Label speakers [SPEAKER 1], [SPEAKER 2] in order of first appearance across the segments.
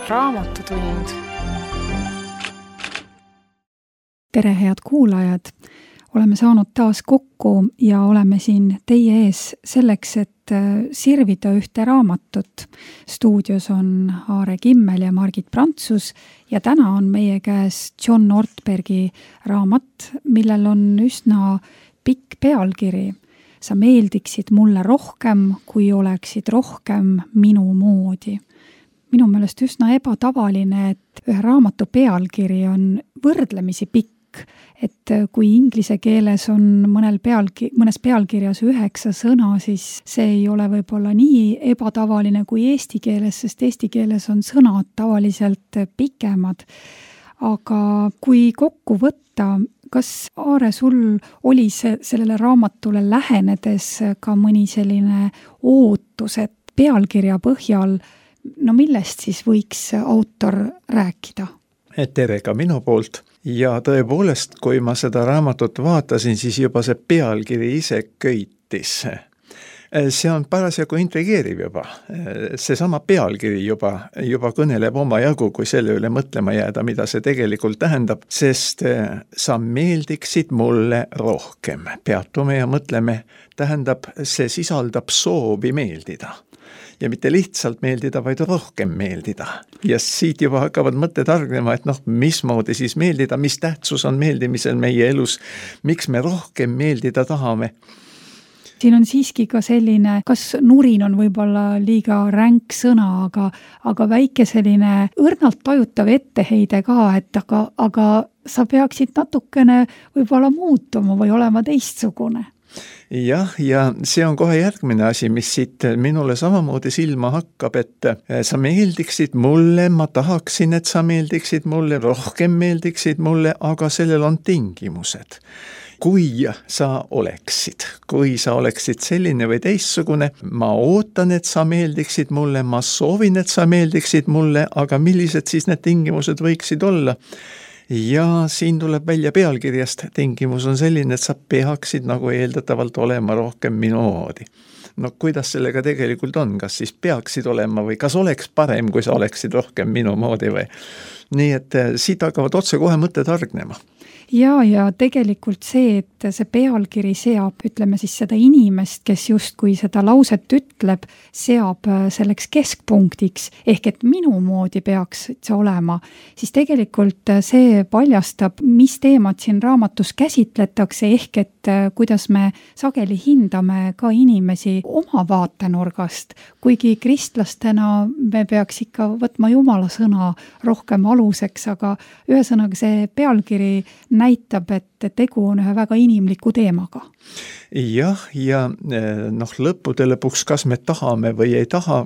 [SPEAKER 1] Raamatutund.
[SPEAKER 2] Tere, head kuulajad! Oleme saanud taas kokku ja oleme siin teie ees selleks, et sirvida ühte raamatut. Stuudios on Aare Kimmel ja Margit Prantsus ja täna on meie käes John Ortbergi raamat, millel on üsna pikk pealkiri. Sa meeldiksid mulle rohkem, kui oleksid rohkem minu moodi. Minu meelest üsna ebatavaline, et ühe raamatu pealkiri on võrdlemisi pikk, et kui inglise keeles on mõnes pealkirjas 9 sõna, siis see ei ole võib-olla nii ebatavaline kui eesti keeles, sest eesti keeles on sõnad tavaliselt pikemad. Aga kui kokku võtta, kas Aare sul oli sellele raamatule lähenedes ka mõni selline ootus, et pealkirja põhjal, no millest siis võiks autor rääkida?
[SPEAKER 3] Tere ka minu poolt. Ja tõepoolest, kui ma seda raamatut vaatasin, siis juba see pealkiri ise köitis. See on parasjagu intrigeeriv juba. Seesama pealkiri juba kõneleb oma jagu, kui selle üle mõtlema jääda, mida see tegelikult tähendab, sest sa meeldiksid mulle rohkem. Peatume ja mõtleme, tähendab, see sisaldab soovi meeldida. Ja mitte lihtsalt meeldida, vaid rohkem meeldida. Ja siit juba hakkavad mõtted argnema, et mismoodi siis meeldida, mis tähtsus on meeldimisel meie elus, miks me rohkem meeldida tahame.
[SPEAKER 2] Siin on siiski ka selline, kas nurin on võib-olla liiga ränk sõna, aga väike selline õrnalt tajutav etteheide ka, et aga sa peaksid natukene võib-olla muutuma või olema teistsugune.
[SPEAKER 3] Jah, ja see on kohe järgmine asi, mis siit minule samamoodi silma hakkab, et sa meeldiksid mulle, ma tahaksin, et sa meeldiksid mulle, rohkem meeldiksid mulle, aga sellel on tingimused. Kui sa oleksid selline või teistsugune, ma ootan, et sa meeldiksid mulle, ma soovin, et sa meeldiksid mulle, aga millised siis need tingimused võiksid olla? Ja siin tuleb välja pealkirjast, tingimus on selline, et sa peaksid nagu eeldatavalt olema rohkem minu moodi. No kuidas sellega tegelikult on, kas siis peaksid olema või kas oleks parem, kui sa oleksid rohkem minu moodi või? Nii et siit hakkavad otse kohe mõtted argnema.
[SPEAKER 2] Ja tegelikult see, et see pealkiri seab, ütleme siis seda inimest, kes justkui seda lauset ütleb, seab selleks keskpunktiks, ehk et minu moodi peaks see olema, siis tegelikult see paljastab, mis teemad siin raamatus käsitletakse, ehk et kuidas me sageli hindame ka inimesi oma vaatenurgast, kuigi kristlastena me peaks ikka võtma Jumala sõna rohkem aluseks, aga ühesõnaga see pealkiri näitab, et tegu on ühe väga inimliku teemaga.
[SPEAKER 3] Jah, ja lõppude lõpuks, kas me tahame või ei taha,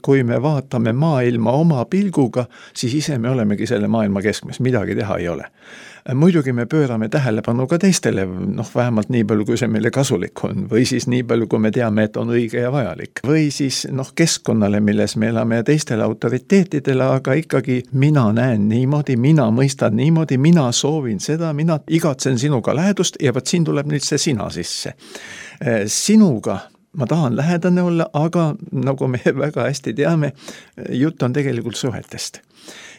[SPEAKER 3] kui me vaatame maailma oma pilguga, siis ise me olemegi selle maailma keskmes, midagi teha ei ole. Muidugi me pöörame tähelepanu ka teistele, vähemalt nii palju, kui see meile kasulik on, või siis nii palju, kui me teame, et on õige ja vajalik. Või siis keskkonnale, milles me elame ja teistele autoriteetidele, aga ikkagi mina näen niimoodi, mina mõistan niimoodi, mina soovin seda, mina igatsen sinuga lähedust ja võt siin tuleb nüüd see sina sisse. Sinuga ma tahan lähedane olla, aga nagu me väga hästi teame, jutt on tegelikult suhetest.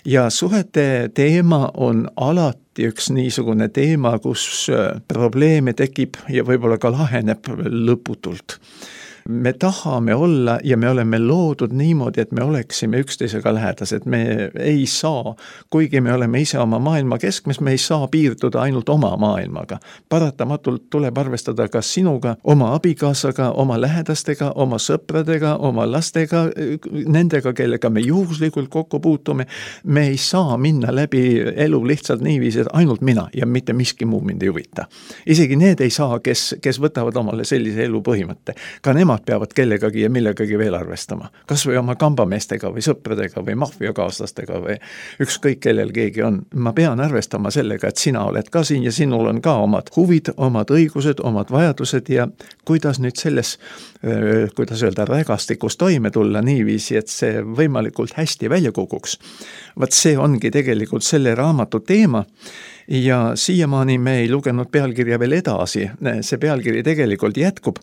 [SPEAKER 3] Ja suhete teema on alati üks niisugune teema, kus probleeme tekib ja võib-olla ka laheneb lõputult. Me tahame olla ja me oleme loodud niimoodi, et me oleksime üksteisega lähedased. Me ei saa, kuigi me oleme ise oma maailma keskmes, me ei saa piirduda ainult oma maailmaga. Paratamatult tuleb arvestada ka sinuga, oma abikaasaga, oma lähedastega, oma sõpradega, oma lastega, nendega, kellega me juhuslikult kokku puutume. Me ei saa minna läbi elu lihtsalt niiviisi, et ainult mina ja mitte miski muu mind ei huvita. Isegi need ei saa, kes võtavad omale sellise elu põhimõtte. Ka nemad peavad kellegagi ja millegagi veel arvestama. Kas või oma kambameestega või sõpradega või maffiakaaslastega või ükskõik kellel keegi on. Ma pean arvestama sellega, et sina oled ka siin ja sinul on ka omad huvid, omad õigused, omad vajadused ja kuidas nüüd selles, rägastikus toime tulla niiviisi, et see võimalikult hästi välja kukuks. Vaat see ongi tegelikult selle raamatu teema. Ja siiamaani me ei lugenud pealkirja veel edasi. See pealkiri tegelikult jätkub.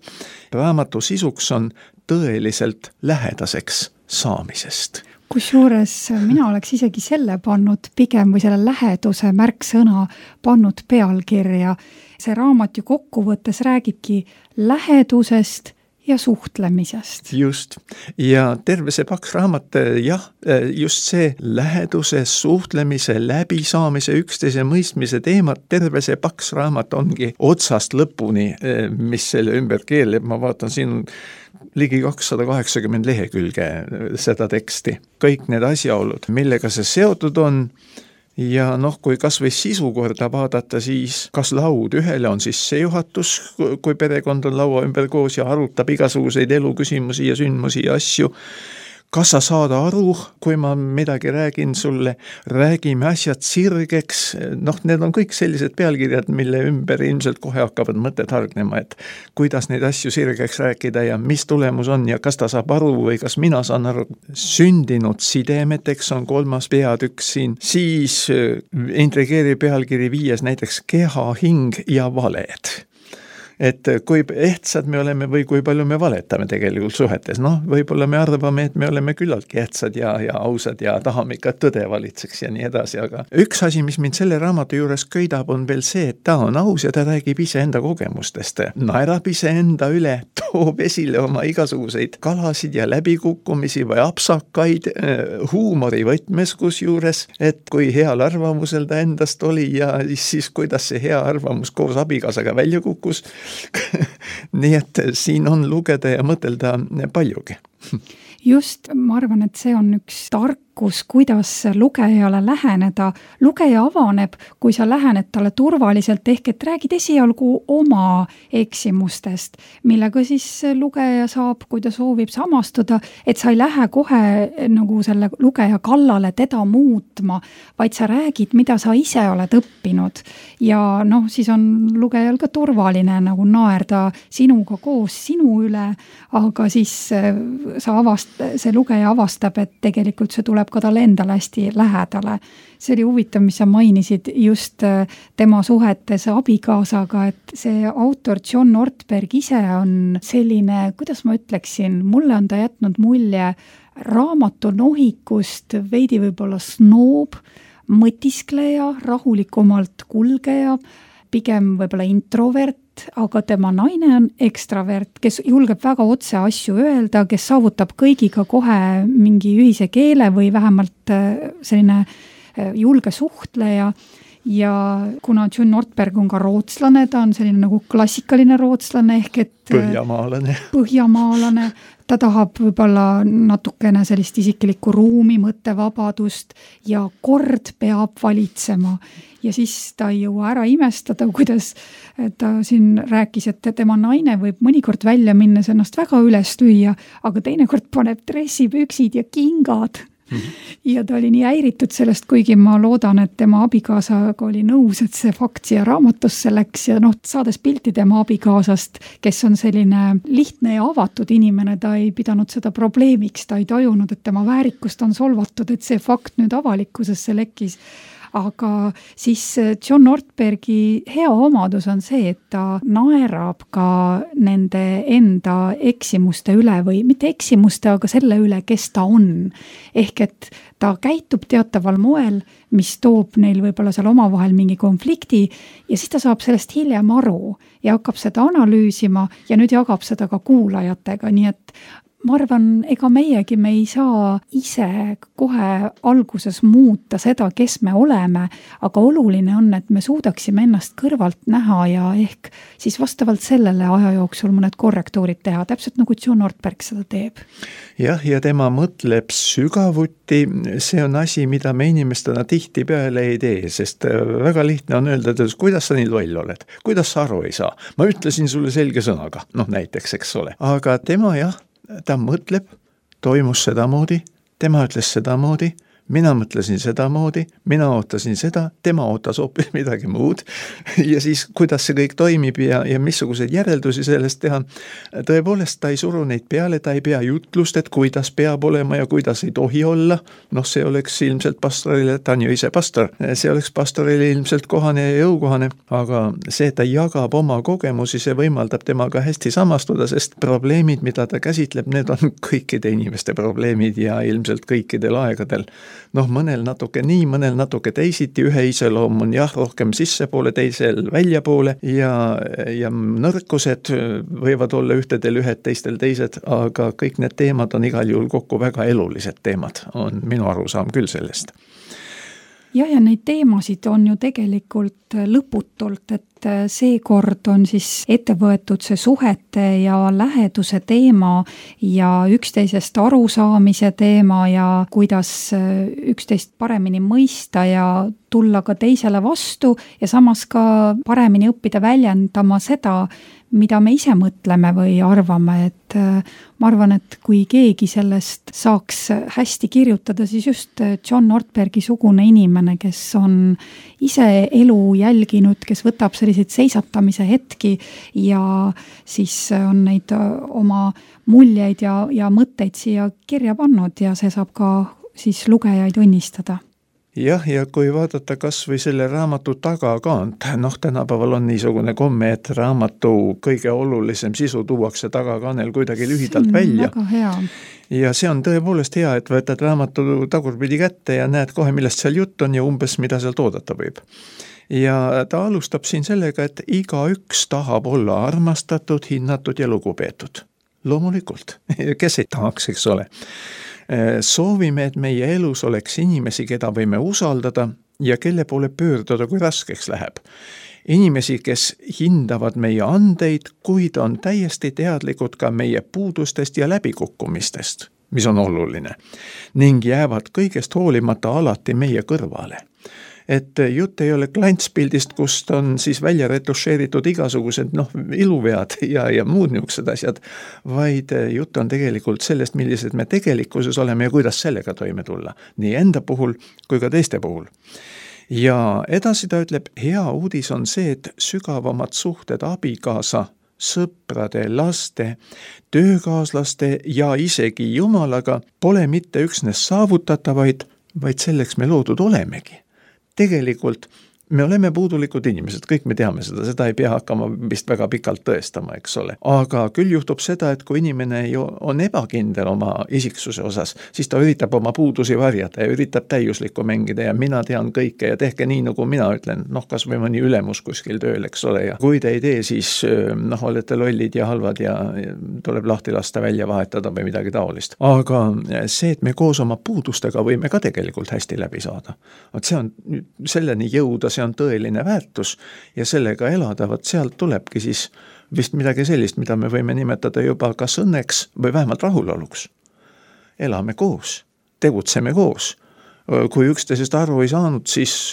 [SPEAKER 3] Raamatu sisuks on tõeliselt lähedaseks saamisest.
[SPEAKER 2] Kusjuures mina oleks isegi selle pannud pigem või selle läheduse märksõna pannud pealkirja. See raamat ju kokkuvõttes räägibki lähedusest ja suhtlemisest.
[SPEAKER 3] Just. Ja terve see paks raamat, jah, just see läheduse, suhtlemise, läbisaamise, üksteise mõistmise teemad, terve see paks raamat ongi otsast lõpuni, mis selle ümber keeleb. Ma vaatan siin ligi 280 lehekülge seda teksti. Kõik need asjaolud, millega see seotud on. Ja kui kas või sisu korda vaadata, siis kas laud ühele on sissejuhatus, kui perekond on laua ümber koos ja arutab igasuguseid eluküsimusi ja sündmusi ja asju. Kas sa saad aru, kui ma midagi räägin sulle, räägime asjad sirgeks, need on kõik sellised pealkirjad, mille ümber ilmselt kohe hakkavad mõtted hargnema, et kuidas neid asju sirgeks rääkida ja mis tulemus on ja kas ta saab aru või kas mina saan aru. Sündinud sidemeteks on 3. peatükk siin, siis intrigeeri pealkiri 5 näiteks keha, hing ja valed. Et kui ehtsad me oleme või kui palju me valetame tegelikult suhetes. Võib-olla me arvame, et me oleme küllaltki ehtsad ja ausad ja tahame ikka tõde valitseks ja nii edasi, aga üks asi, mis mind selle raamatu juures köidab, on veel see, et ta on aus ja ta räägib iseenda kogemustest. Naerab iseenda üle, toob esile oma igasuguseid kalasid ja läbikukkumisi või apsakaid huumori võtmes kusjuures, et kui heal arvamusel ta endast oli ja siis kuidas see hea arvamus koos abikaasaga välja kukkus. Nii et siin on lugeda ja mõtelda paljugi.
[SPEAKER 2] Just, ma arvan, et see on üks tarkus, kuidas lugejale läheneda. Lugeja avaneb, kui sa lähened talle turvaliselt, ehk et räägid esialgu oma eksimustest, millega siis lugeja saab, kui ta soovib samastuda, et sa ei lähe kohe nagu selle lugeja kallale teda muutma, vaid sa räägid, mida sa ise oled õppinud. Ja siis on lugejal ka turvaline nagu naerda sinuga koos sinu üle, aga siis see lugeja avastab, et tegelikult see tuleb ka talle endale hästi lähedale. See oli huvitav, mis sa mainisid just tema suhetes abikaasaga, et see autor John Ortberg ise on selline, kuidas ma ütleksin, mulle on ta jätnud mulje raamatu nohikust, veidi võib-olla snoob, mõtiskleja, rahulikumalt kulgeja, pigem võib-olla introvert, aga tema naine on ekstravert, kes julgeb väga otse asju öelda, kes saavutab kõigiga kohe mingi ühise keele või vähemalt selline julge suhtleja. Ja kuna John Ortberg on ka rootslane, ta on selline nagu klassikaline rootslane ehk et põhjamaalane. Ta tahab võib-olla natukene sellist isiklikku ruumi, mõttevabadust ja kord peab valitsema. Ja siis ta ei jõua ära imestada, kuidas ta siin rääkis, et tema naine võib mõnikord välja minnes ennast väga üles lüüa, aga teinekord paneb dressipüksid ja kingad. Ja ta oli nii häiritud sellest, kuigi ma loodan, et tema abikaasaga oli nõus, et see fakt siia raamatusse läks ja saades pilti tema abikaasast, kes on selline lihtne ja avatud inimene, ta ei pidanud seda probleemiks, ta ei tajunud, et tema väärikust on solvatud, et see fakt nüüd avalikkusesse lekkis. Aga siis John Ortbergi hea omadus on see, et ta naerab ka nende enda eksimuste üle või mitte eksimuste, aga selle üle, kes ta on. Ehk et ta käitub teataval moel, mis toob neil võib-olla seal omavahel mingi konflikti ja siis ta saab sellest hiljem aru ja hakkab seda analüüsima ja nüüd jagab seda ka kuulajatega, nii et ma arvan, ega meiegi me ei saa ise kohe alguses muuta seda, kes me oleme, aga oluline on, et me suudaksime ennast kõrvalt näha ja ehk siis vastavalt sellele aja jooksul mõned korrektuurid teha, täpselt nagu John Ortberg seda teeb.
[SPEAKER 3] Jah, ja tema mõtleb sügavuti, see on asi, mida me inimestena tihti peale ei tee, sest väga lihtne on öelda, et kuidas sa nii loll oled, kuidas sa aru ei saa. Ma ütlesin sulle selge sõnaga, näiteks, eks ole. Aga tema ta mõtleb, toimus sedamoodi, tema ütles sedamoodi, mina mõtlesin sedamoodi, mina ootasin seda, tema ootas hoopis midagi muud ja siis kuidas see kõik toimib ja missuguseid järeldusi sellest teha. Tõepoolest, ta ei suru neid peale, ta ei pea jutlust, et kuidas peab olema ja kuidas ei tohi olla. See oleks ilmselt pastorile, ta on ju ise pastor, see oleks pastorile ilmselt kohane ja jõukohane, aga see, et ta jagab oma kogemusi, see võimaldab temaga hästi samastuda, sest probleemid, mida ta käsitleb, need on kõikide inimeste probleemid ja ilmselt kõikidel aegadel. Mõnel natuke nii, mõnel natuke teisiti, ühe iseloom on rohkem sissepoole, teisel väljapoole ja nõrkused võivad olla ühtedel ühed, teistel teised, aga kõik need teemad on igal juhul kokku väga elulised teemad, on minu arusaam küll sellest.
[SPEAKER 2] Ja neid teemasid on ju tegelikult lõputult, et seekord on siis ette võetud see suhete ja läheduse teema ja üksteisest arusaamise teema ja kuidas üksteist paremini mõista ja tulla ka teisele vastu ja samas ka paremini õppida väljendama seda, mida me ise mõtleme või arvame, et ma arvan, et kui keegi sellest saaks hästi kirjutada, siis just John Ortbergi sugune inimene, kes on ise elu jälginud, kes võtab selliseid seisatamise hetki ja siis on neid oma muljeid ja mõtteid siia kirja pannud ja see saab ka siis lugejaid õnnistada.
[SPEAKER 3] Ja kui vaadata kas või selle raamatu tagakaant, tänapäeval on niisugune komme, et raamatu kõige olulisem sisu tuuakse tagakaanel kuidagi lühidalt välja.
[SPEAKER 2] Väga hea.
[SPEAKER 3] Ja see on tõepoolest hea, et võtad raamatu tagurpidi kätte ja näed kohe, millest seal jutt on ja umbes mida seal toodata võib. Ja ta alustab siin sellega, et igaüks tahab olla armastatud, hinnatud ja lugupeetud. Loomulikult, kes ei tahaks, eks ole. Soovime, et meie elus oleks inimesi, keda võime usaldada ja kelle poole pöörduda, kui raskeks läheb. Inimesi, kes hindavad meie andeid, kuid on täiesti teadlikud ka meie puudustest ja läbikukkumistest, mis on oluline, ning jäävad kõigest hoolimata alati meie kõrvale. Et jutt ei ole klantspildist, kust on siis välja retušeeritud igasugused iluvead ja muud niisugused asjad, vaid jutt on tegelikult sellest, millised me tegelikkuses oleme ja kuidas sellega toime tulla, nii enda puhul kui ka teiste puhul. Ja edasi ta ütleb, hea uudis on see, et sügavamad suhted abikaasa, sõprade, laste, töökaaslaste ja isegi Jumalaga pole mitte üksnes saavutatavaid, vaid selleks me loodud olemegi. Tegelikult me oleme puudulikud inimesed, kõik me teame seda ei pea hakkama vist väga pikalt tõestama, eks ole. Aga küll juhtub seda, et kui inimene on ebakindel oma isiksuse osas, siis ta üritab oma puudusi varjata ja üritab täiuslikku mängida ja mina tean kõike ja tehke nii, nagu mina ütlen, kas või mõni ülemus kuskil tööl, eks ole. Ja kui te ei tee, siis olete lollid ja halvad ja tuleb lahti lasta välja vahetada või midagi taolist. Aga see, et me koos oma puudustega võime ka tegelikult hästi läbi saada. See on selleni jõuda, see on tõeline väärtus ja sellega elada, sealt tulebki siis vist midagi sellist, mida me võime nimetada juba kas õnneks või vähemalt rahuloluks. Elame koos, tegutseme koos. Kui üksteisest aru ei saanud, siis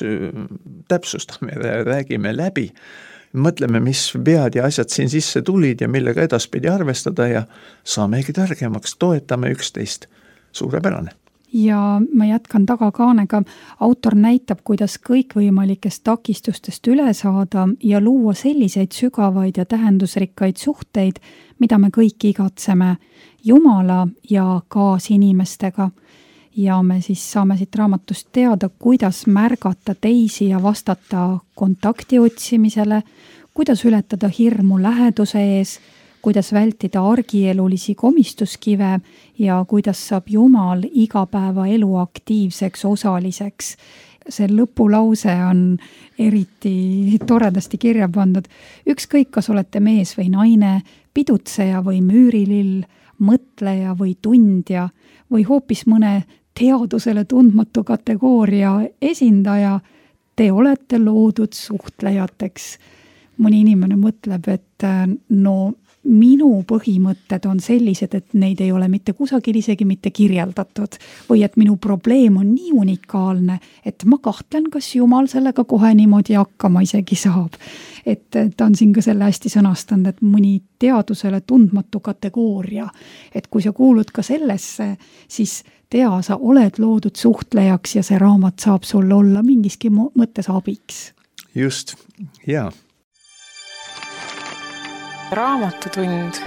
[SPEAKER 3] täpsustame, räägime läbi, mõtleme, mis vead ja asjad siin sisse tulid ja millega edaspidi arvestada ja saamegi targemaks, toetame üksteist. Suurepärane.
[SPEAKER 2] Ja ma jätkan tagakaanega. Autor näitab, kuidas kõikvõimalikest takistustest üle saada ja luua selliseid sügavaid ja tähendusrikkaid suhteid, mida me kõik igatseme Jumala ja kaasinimestega. Ja me siis saame siit raamatust teada, kuidas märgata teisi ja vastata kontakti otsimisele, kuidas ületada hirmu läheduse ees, kuidas vältida argielulisi komistuskive ja kuidas saab Jumal igapäevaelu aktiivseks osaliseks. See lõpulause on eriti toredasti kirja pandud. Ükskõik, kas olete mees või naine, pidutseja või müürilill, mõtleja või tundja või hoopis mõne teadusele tundmatu kategooria esindaja, te olete loodud suhtlejateks. Mõni inimene mõtleb, et minu põhimõtted on sellised, et neid ei ole mitte kusagil isegi mitte kirjeldatud või et minu probleem on nii unikaalne, et ma kahtlen, kas Jumal sellega kohe niimoodi hakkama isegi saab. Et ta on siin ka selle hästi sõnastanud, et mõni teadusele tundmatu kategooria, et kui sa kuulud ka sellesse, siis tea, sa oled loodud suhtlejaks ja see raamat saab sul olla mingiski mõttes abiks.
[SPEAKER 3] Just, jaa.
[SPEAKER 1] Raamatutund.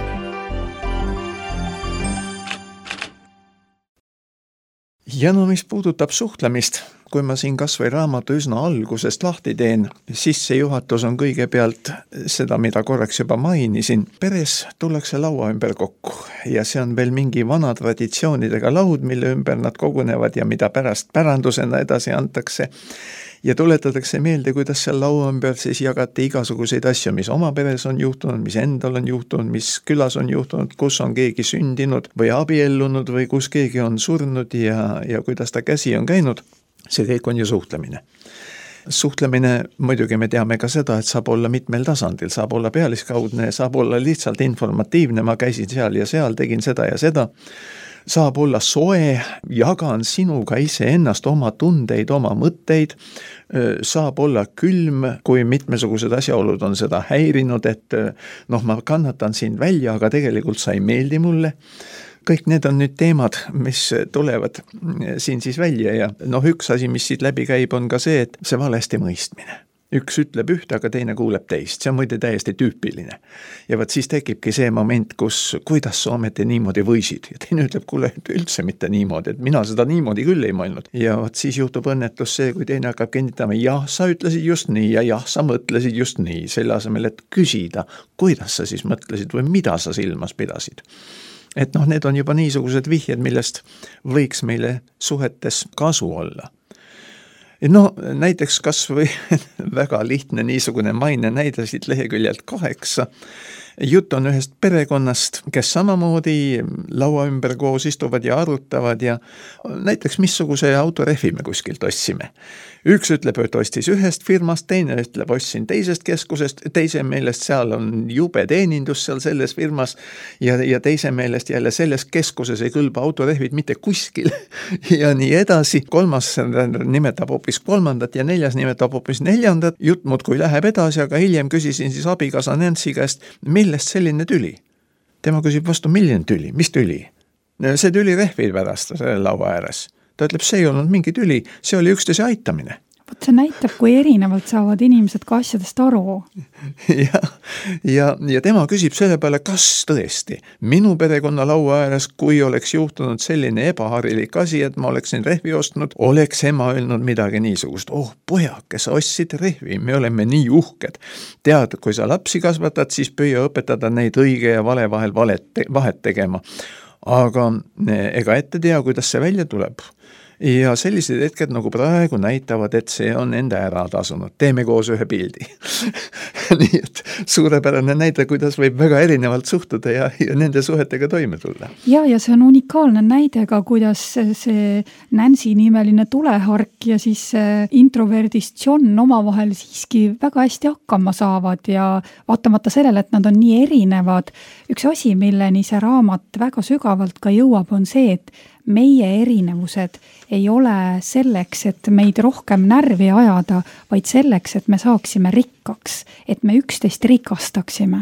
[SPEAKER 3] Ja no mis puudutab suhtlemist, kui ma siin kas või raamatu üsna algusest lahti teen, sissejuhatus on kõigepealt seda, mida korraks juba mainisin. Peres tullakse laua ümber kokku ja see on veel mingi vana traditsioonidega laud, mille ümber nad kogunevad ja mida pärast pärandusena edasi antakse. Ja tuletatakse meelde, kuidas seal laua ümber siis jagati igasuguseid asju, mis oma peres on juhtunud, mis endal on juhtunud, mis külas on juhtunud, kus on keegi sündinud või abiellunud või kus keegi on surnud ja kuidas ta käsi on käinud. See kõik on ju suhtlemine. Suhtlemine, muidugi me teame ka seda, et saab olla mitmel tasandil, saab olla pealiskaudne, saab olla lihtsalt informatiivne, ma käisin seal ja seal, tegin seda ja seda. Saab olla soe, jagan sinuga iseennast oma tundeid, oma mõtteid, saab olla külm, kui mitmesugused asjaolud on seda häirinud, et ma kannatan sind välja, aga tegelikult sa ei meeldi mulle. Kõik need on nüüd teemad, mis tulevad siin siis välja ja üks asi, mis siit läbi käib, on ka see, et see valesti mõistmine. Üks ütleb ühte, aga teine kuuleb teist. See on muide täiesti tüüpiline. Ja võt siis tekibki see moment, kuidas sa ometi niimoodi võisid. Ja teine ütleb, kuule, üldse mitte niimoodi, et mina seda niimoodi küll ei mõelnud. Ja võt siis juhtub õnnetus see, kui teine hakkab kinnitama, jah, sa ütlesid just nii ja jah, sa mõtlesid just nii. Selle asemel, et küsida, kuidas sa siis mõtlesid või mida sa silmas pidasid. Et need on juba niisugused vihjed, millest võiks meile suhetes kasu olla. Näiteks kas või väga lihtne niisugune maine näide siit leheküljelt 8. Jutt on ühest perekonnast, kes samamoodi laua ümber koos istuvad ja arutavad ja näiteks missuguse autorehvi me kuskilt ostsime. Üks ütleb, et ostis ühest firmast, teine ütleb, ostsin teisest keskusest, teise meelest seal on jube teenindus seal selles firmas ja teise meelest jälle selles keskuses ei kõlba autorehvid mitte kuskil ja nii edasi. Kolmas nimetab hoopis kolmandat ja neljas nimetab hoopis neljandat. Jutt muudkui läheb edasi, aga hiljem küsisin siis abikaasa Nancy käest, millest selline tüli? Tema küsib vastu, milline tüli? Mis tüli? See tüli rehvi pärast selle laua ääres. Ta ütleb, see ei olnud mingi tüli, see oli üksteise aitamine.
[SPEAKER 2] Vot see näitab, kui erinevalt saavad inimesed ka asjadest aru.
[SPEAKER 3] ja tema küsib selle peale, kas tõesti minu perekonna laua ääres, kui oleks juhtunud selline ebaharilik asi, et ma oleksin rehvi ostnud, oleks ema öelnud midagi niisugust. Pojake, sa ostsid rehvi, me oleme nii uhked. Tead, kui sa lapsi kasvatad, siis püüa õpetada neid õige ja vale vahel vahet tegema. Aga ega ette tea, kuidas see välja tuleb. Ja sellised hetked nagu praegu näitavad, et see on enda ära tasunud. Teeme koos ühe pildi. Nii et suurepärane näide, kuidas võib väga erinevalt suhtuda ja nende suhetega toime tulla.
[SPEAKER 2] Ja see on unikaalne näide ka, kuidas see Nancy nimeline tulehark ja siis introverdist John omavahel siiski väga hästi hakkama saavad ja vaatamata sellele, et nad on nii erinevad. Üks asi, milleni see raamat väga sügavalt ka jõuab, on see, et meie erinevused ei ole selleks, et meid rohkem närvi ajada, vaid selleks, et me saaksime rikkaks, et me üksteist rikastaksime.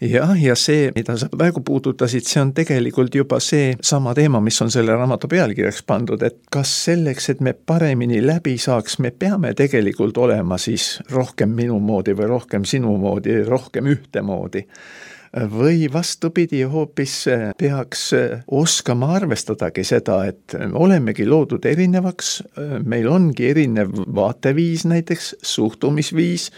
[SPEAKER 3] Ja see, mida sa praegu puudutasid, see on tegelikult juba see sama teema, mis on selle raamatu pealkirjaks pandud, et kas selleks, et me paremini läbi saaks, me peame tegelikult olema siis rohkem minu moodi või rohkem sinu moodi, rohkem ühtemoodi. Või vastupidi, hoopis peaks oskama arvestadagi seda, et olemegi loodud erinevaks, meil ongi erinev vaateviis näiteks, suhtumisviis,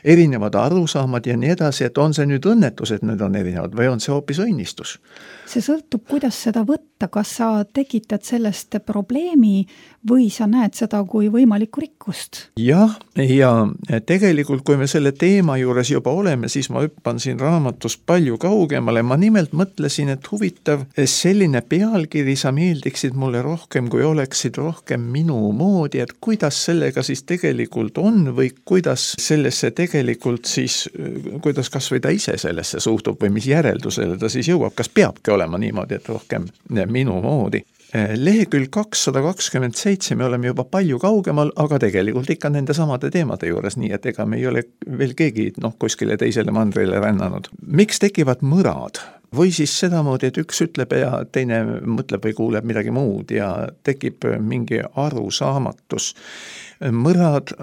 [SPEAKER 3] erinevad arusaamad ja nii edasi, et on see nüüd õnnetus, et need on erinevad või on see hoopis õnnistus?
[SPEAKER 2] See sõltub, kuidas seda võtta, kas sa tekitad sellest probleemi või sa näed seda kui võimalikku rikkust?
[SPEAKER 3] Ja tegelikult, kui me selle teema juures juba oleme, siis ma hüppan siin raamatus palju palju kaugemale, ma nimelt mõtlesin, et huvitav, selline pealkiri, sa meeldiksid mulle rohkem, kui oleksid rohkem minu moodi, et kuidas sellega siis tegelikult on või kuidas sellesse tegelikult siis, kuidas kas või ta ise sellesse suhtub või mis järeldusele ta siis jõuab, kas peabki olema niimoodi, et rohkem minu moodi. Lehekülg 227 me oleme juba palju kaugemal, aga tegelikult ikka nende samade teemade juures, nii et ega me ei ole veel keegi kuskile teisele mandrile rännanud. Miks tekivad mõrad? Või siis sedamoodi, et üks ütleb ja teine mõtleb või kuuleb midagi muud ja tekib mingi arusaamatus. Mõrad,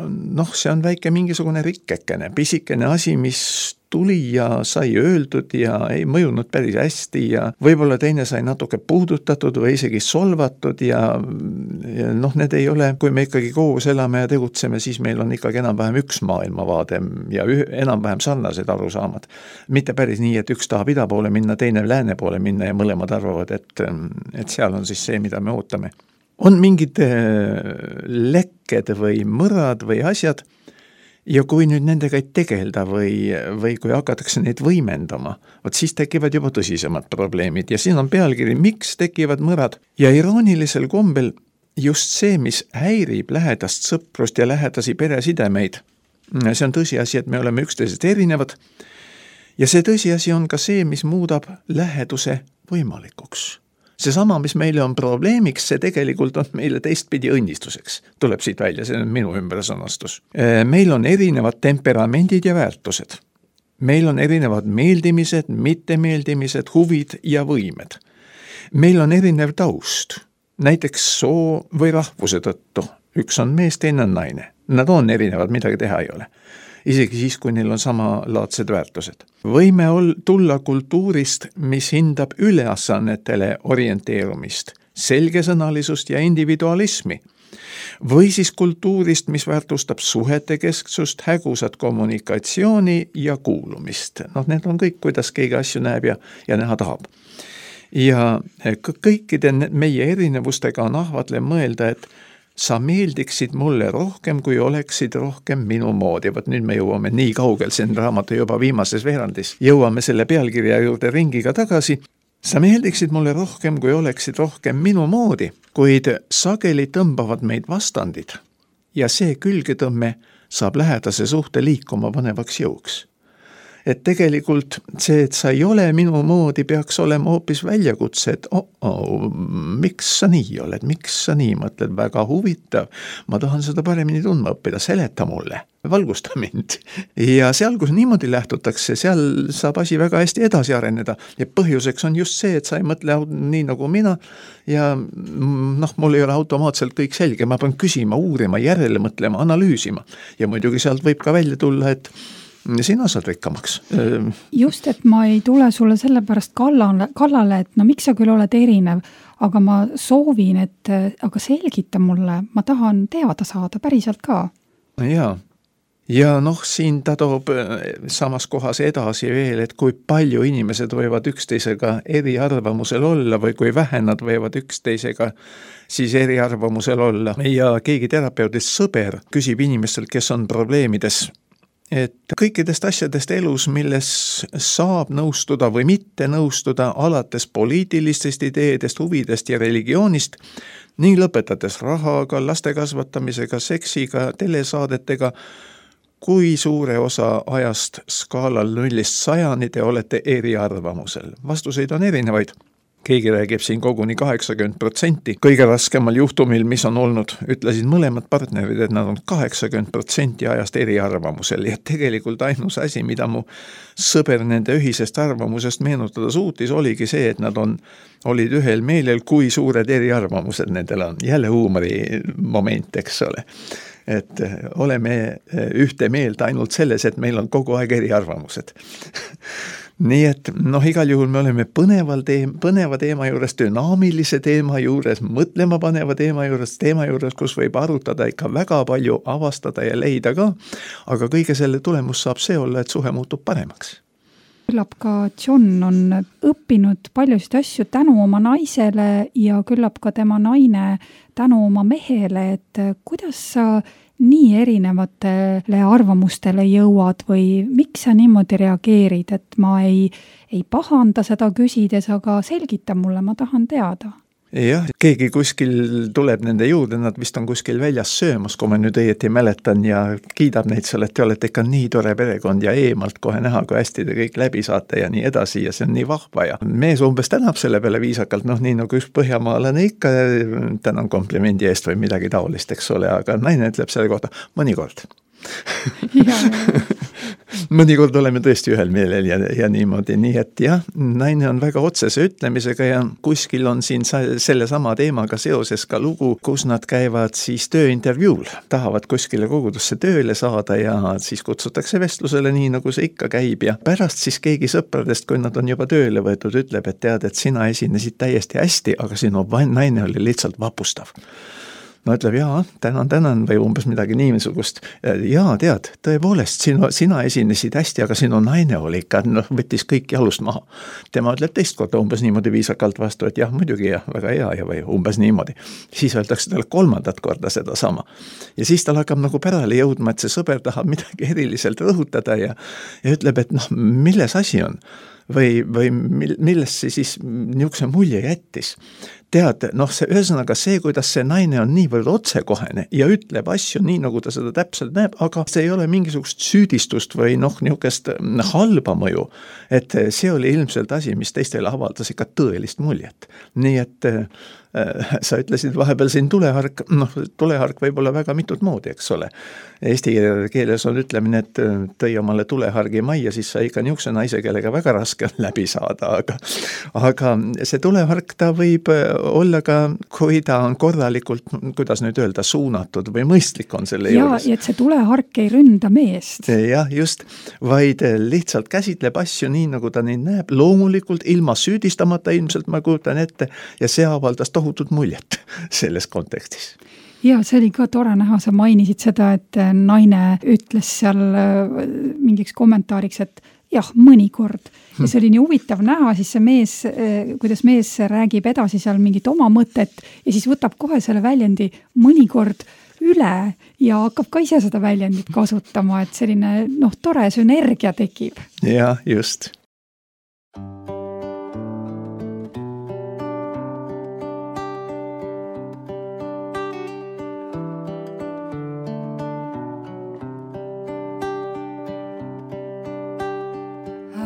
[SPEAKER 3] see on väike mingisugune rikkekene, pisikene asi, mis tuli ja sai öeldud ja ei mõjunud päris hästi ja võib-olla teine sai natuke puudutatud või isegi solvatud ja need ei ole, kui me ikkagi koos elame ja tegutseme, siis meil on ikkagi enam-vähem üks maailmavaade ja enam-vähem sarnased arusaamad. Mitte päris nii, et üks tahab ida poole minna, teine lääne poole minna ja mõlemad arvavad, et seal on siis see, mida me ootame. On mingid lekked või mõrad või asjad, ja kui nüüd nendega ei tegelda või kui hakatakse neid võimendama, siis tekivad juba tõsisemad probleemid ja siin on pealkiri, miks tekivad mõrad. Ja iroonilisel kombel just see, mis häirib lähedast sõprust ja lähedasi peresidemeid, see on tõsiasi, et me oleme üksteisest erinevad ja see tõsiasi on ka see, mis muudab läheduse võimalikuks. Seesama, mis meile on probleemiks, see tegelikult on meile teistpidi õnnistuseks. Tuleb siit välja, see on minu ümbersõnastus. Meil on erinevad temperamendid ja väärtused. Meil on erinevad meeldimised, mittemeeldimised, huvid ja võimed. Meil on erinev taust, näiteks soo või rahvuse tõttu. Üks on mees, teine on naine. Nad on erinevad, midagi teha ei ole. Isegi siis, kui neil on samalaadsed väärtused. Võime tulla kultuurist, mis hindab üleasannetele orienteerumist, selgesõnalisust ja individualismi. Või siis kultuurist, mis väärtustab suhete kesksust, hägusat kommunikatsiooni ja kuulumist. Need on kõik, kuidas keegi asju näeb ja näha tahab. Ja kõikide meie erinevustega on ahvatle mõelda, et sa meeldiksid mulle rohkem, kui oleksid rohkem minu moodi. Nüüd me jõuame nii kaugel, see on raamatu juba viimases veerandis. Jõuame selle pealkirja juurde ringiga tagasi. Sa meeldiksid mulle rohkem, kui oleksid rohkem minu moodi, kuid sageli tõmbavad meid vastandid. Ja see külgetõmme saab lähedase suhte liikuma panevaks jõuks. Et tegelikult see, et sa ei ole minu moodi, peaks olema hoopis väljakutse, et miks sa nii oled, miks sa nii mõtled, väga huvitav, ma tahan seda paremini tundma õppida, seleta mulle, valgusta mind. Ja seal, kus niimoodi lähtutakse, seal saab asi väga hästi edasi areneda ja põhjuseks on just see, et sa ei mõtle nii nagu mina ja mul ei ole automaatselt kõik selge, ma pean küsima, uurima, järele mõtlema, analüüsima ja muidugi sealt võib ka välja tulla, et sina saad rikkamaks.
[SPEAKER 2] Just, et ma ei tule sulle sellepärast kallale, et miks sa küll oled erinev, aga ma soovin, et aga selgita mulle, ma tahan teada saada päriselt ka.
[SPEAKER 3] Ja siin ta toob samas kohas edasi veel, et kui palju inimesed võivad üksteisega eriarvamusel olla või kui vähe nad võivad üksteisega siis eriarvamusel olla. Ja keegi terapeudist sõber küsib inimestelt, kes on probleemides, et kõikidest asjadest elus, milles saab nõustuda või mitte nõustuda, alates poliitilistest ideedest, huvidest ja religioonist, ning lõpetades rahaga, laste kasvatamisega, seksiga, telesaadetega, kui suure osa ajast skaalal 0-100 te olete eriarvamusel. Vastuseid on erinevaid. Keegi räägib siin koguni 80%. Kõige raskemal juhtumil, mis on olnud, ütlesid mõlemad partnerid, et nad on 80% ajast eriarvamusel. Ja tegelikult ainus asi, mida mu sõber nende ühisest arvamusest meenutada suutis, oligi see, et nad olid ühel meelel, kui suured eriarvamused nendel on. Jälle huumori moment, eks ole. Et oleme ühte meelt ainult selles, et meil on kogu aeg eriarvamused. Nii et igal juhul me oleme põneva teema juures, dünaamilise teema juures, mõtlema paneva teema juures, kus võib arutada ikka väga palju, avastada ja leida ka, aga kõige selle tulemus saab see olla, et suhe muutub paremaks.
[SPEAKER 2] Küllap ka John on õppinud paljusid asju tänu oma naisele ja küllap ka tema naine tänu oma mehele, et kuidas sa nii erinevatele arvamustele jõuad või miks sa niimoodi reageerid, et ma ei pahanda seda küsides, aga selgita mulle, ma tahan teada.
[SPEAKER 3] Jah, keegi kuskil tuleb nende juurde, nad vist on kuskil väljas söömas, kui ma nüüd õieti mäletan ja kiidab neid seal, et te olete ikka nii tore perekond ja eemalt kohe näha, kui hästi te kõik läbi saate ja nii edasi ja see on nii vahva ja mees umbes tänab selle peale viisakalt, nii nagu üks põhjamaalane ikka, tänan komplimendi eest või midagi taolist, eks ole, aga naine ütleb selle kohta mõnikord. Mõnikord oleme tõesti ühel meelel ja niimoodi, nii et jah, naine on väga otsese ütlemisega ja kuskil on siin selle sama teemaga seoses ka lugu, kus nad käivad siis tööintervjuul, tahavad kuskile kogudusse tööle saada ja siis kutsutakse vestlusele nii, nagu see ikka käib ja pärast siis keegi sõpradest, kui nad on juba tööle võetud, ütleb, et tead, et sina esinesid täiesti hästi, aga sinu naine oli lihtsalt vapustav. No ütleb, jaa, tänan või umbes midagi niisugust. Jaa, tead, tõepoolest, sina esinesid hästi, aga sinu naine oli ikka, võttis kõik jalust maha. Tema ütleb teist korda umbes niimoodi viisakalt vastu, et jah, muidugi jah, väga hea ja või umbes niimoodi. Siis öeldakse talle 3. korda seda sama. Ja siis tal hakkab nagu pärale jõudma, et see sõber tahab midagi eriliselt rõhutada ja ütleb, et milles asi on? Või milles see siis niisuguse mulje jättis? Tead, see ühesõnaga see, kuidas see naine on niivõrd otsekohene ja ütleb asju nii, nagu ta seda täpselt näeb, aga see ei ole mingisugust süüdistust või niisugust halba mõju. Et see oli ilmselt asi, mis teistele avaldas ikka tõelist muljet. Nii et sa ütlesid vahepeal siin tulehark, tulehark võib olla väga mitut moodi, eks ole. Eesti keeles on ütlemine, et tõi omale tulehargi majja, siis sa ikka niisuguse naise, kellega väga raske on läbi saada, aga see tulehark ta võib olla ka, kui ta on korralikult, kuidas nüüd öelda, suunatud või mõistlik on selle juures.
[SPEAKER 2] Ja et see tulehark ei ründa meest.
[SPEAKER 3] Jah, just, vaid lihtsalt käsitleb asju nii, nagu ta neid näeb, loomulikult ilma süüdistamata ilmselt ma kujutan ette ja see avaldas tohutut muljet selles kontekstis.
[SPEAKER 2] Ja see oli ka tore näha, sa mainisid seda, et naine ütles seal mingiks kommentaariks, et jah, mõnikord. Ja see oli nii huvitav näha, siis see mees, kuidas mees räägib edasi seal mingit oma mõtet ja siis võtab kohe selle väljendi mõnikord üle ja hakkab ka ise seda väljendit kasutama, et selline tore sünergia tekib.
[SPEAKER 3] Ja, just.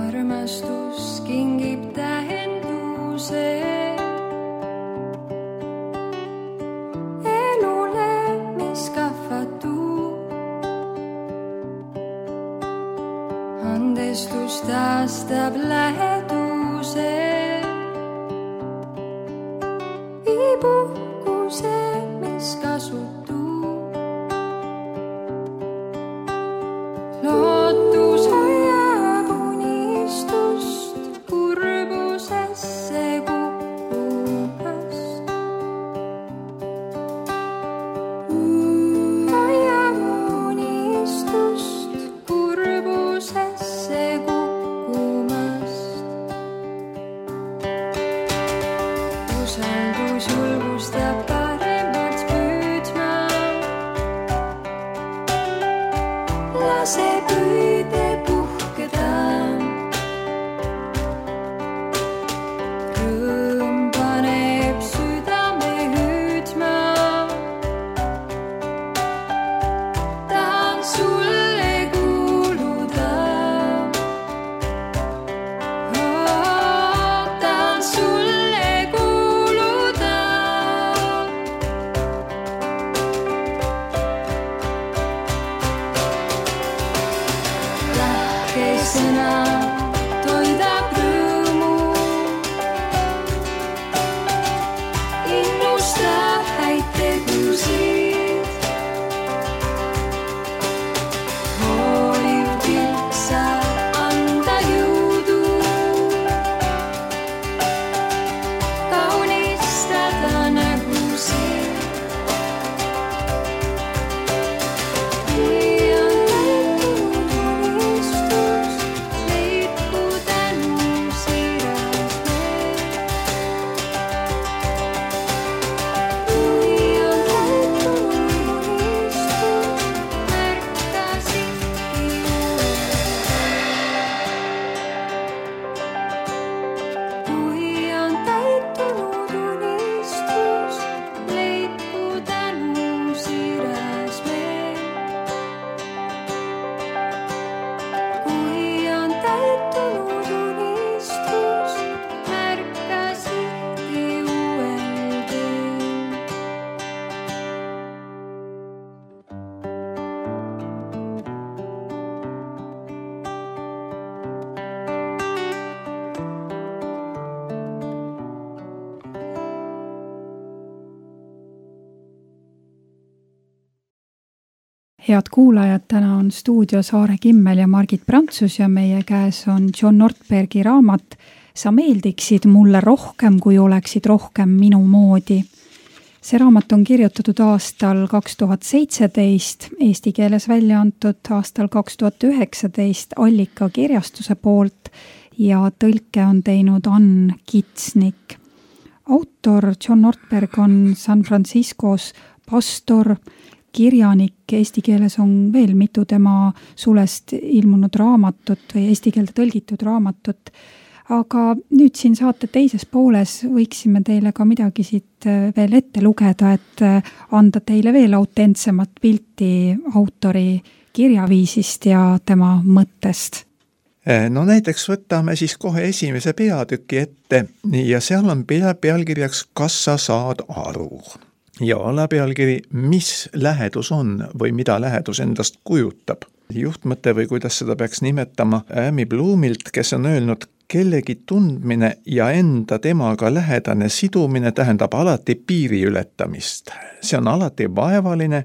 [SPEAKER 4] Armastus kingib tähenduse elule, mis kahvatub. Andestus taastab läheduse, viibuhkuse, mis kasutub. Lootus hoiab unistust kurbusesse kukkumast. Hoiab unistust kurbusesse kukkumast. Usaldus julgustab paremaks püüdma. Lase püüde puhkeda. Rõõm paneb südame hüüdma. Tahan sulle kuuluda. Tahan sulle kuuluda.
[SPEAKER 2] Head kuulajad, täna on stuudios Aare Kimmel ja Margit Prantsus ja meie käes on John Ortbergi raamat Sa meeldiksid mulle rohkem, kui oleksid rohkem minu moodi. See raamat on kirjutatud aastal 2017, eesti keeles välja antud aastal 2019 Allika kirjastuse poolt ja tõlke on teinud Ann Kitsnik. Autor John Ortberg on San Franciscos pastor, kirjanik, eesti keeles on veel mitu tema sulest ilmunud raamatut või eesti keelde tõlgitud raamatut. Aga nüüd siin saate teises pooles võiksime teile ka midagi siit veel ette lugeda, et anda teile veel autentsemat pilti autori kirjaviisist ja tema mõttest.
[SPEAKER 3] No näiteks võtame siis kohe esimese peatüki ette ja seal on pealkirjaks Kas sa saad aru? Ja alapealkiri, mis lähedus on või mida lähedus endast kujutab. Juhtmõte või kuidas seda peaks nimetama Amy Bloomilt, kes on öelnud, kellegi tundmine ja enda temaga lähedane sidumine tähendab alati piiri ületamist. See on alati vaevaline,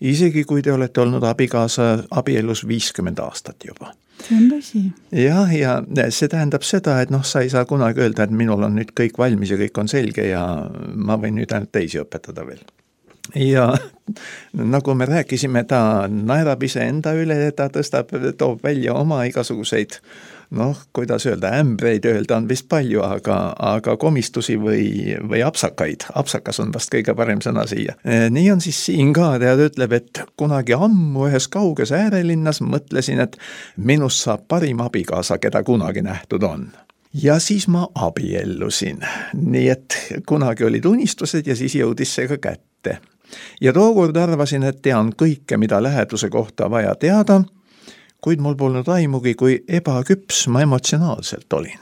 [SPEAKER 3] isegi kui te olete olnud abikaasa abielus 50 aastat juba.
[SPEAKER 2] See on tõsi.
[SPEAKER 3] Ja see tähendab seda, et sa ei saa kunagi öelda, et minul on nüüd kõik valmis ja kõik on selge ja ma võin nüüd ainult teisi õpetada veel. Ja nagu me rääkisime, ta naerab ise enda üle, ta toob välja oma igasuguseid, kuidas öelda, ämbreid öelda on vist palju, aga komistusi või apsakaid. Apsakas on vast kõige parem sõna siia. Nii on siis siin ka, ta ütleb, et kunagi ammu ühes kauges äärelinnas mõtlesin, et minust saab parim abikaasa, keda kunagi nähtud on. Ja siis ma abiellusin. Nii et kunagi olid unistused ja siis jõudis see ka kätte. Ja tookord arvasin, et tean kõike, mida läheduse kohta vaja teada, kuid mul polnud aimugi, kui ebaküps ma emotsionaalselt olin.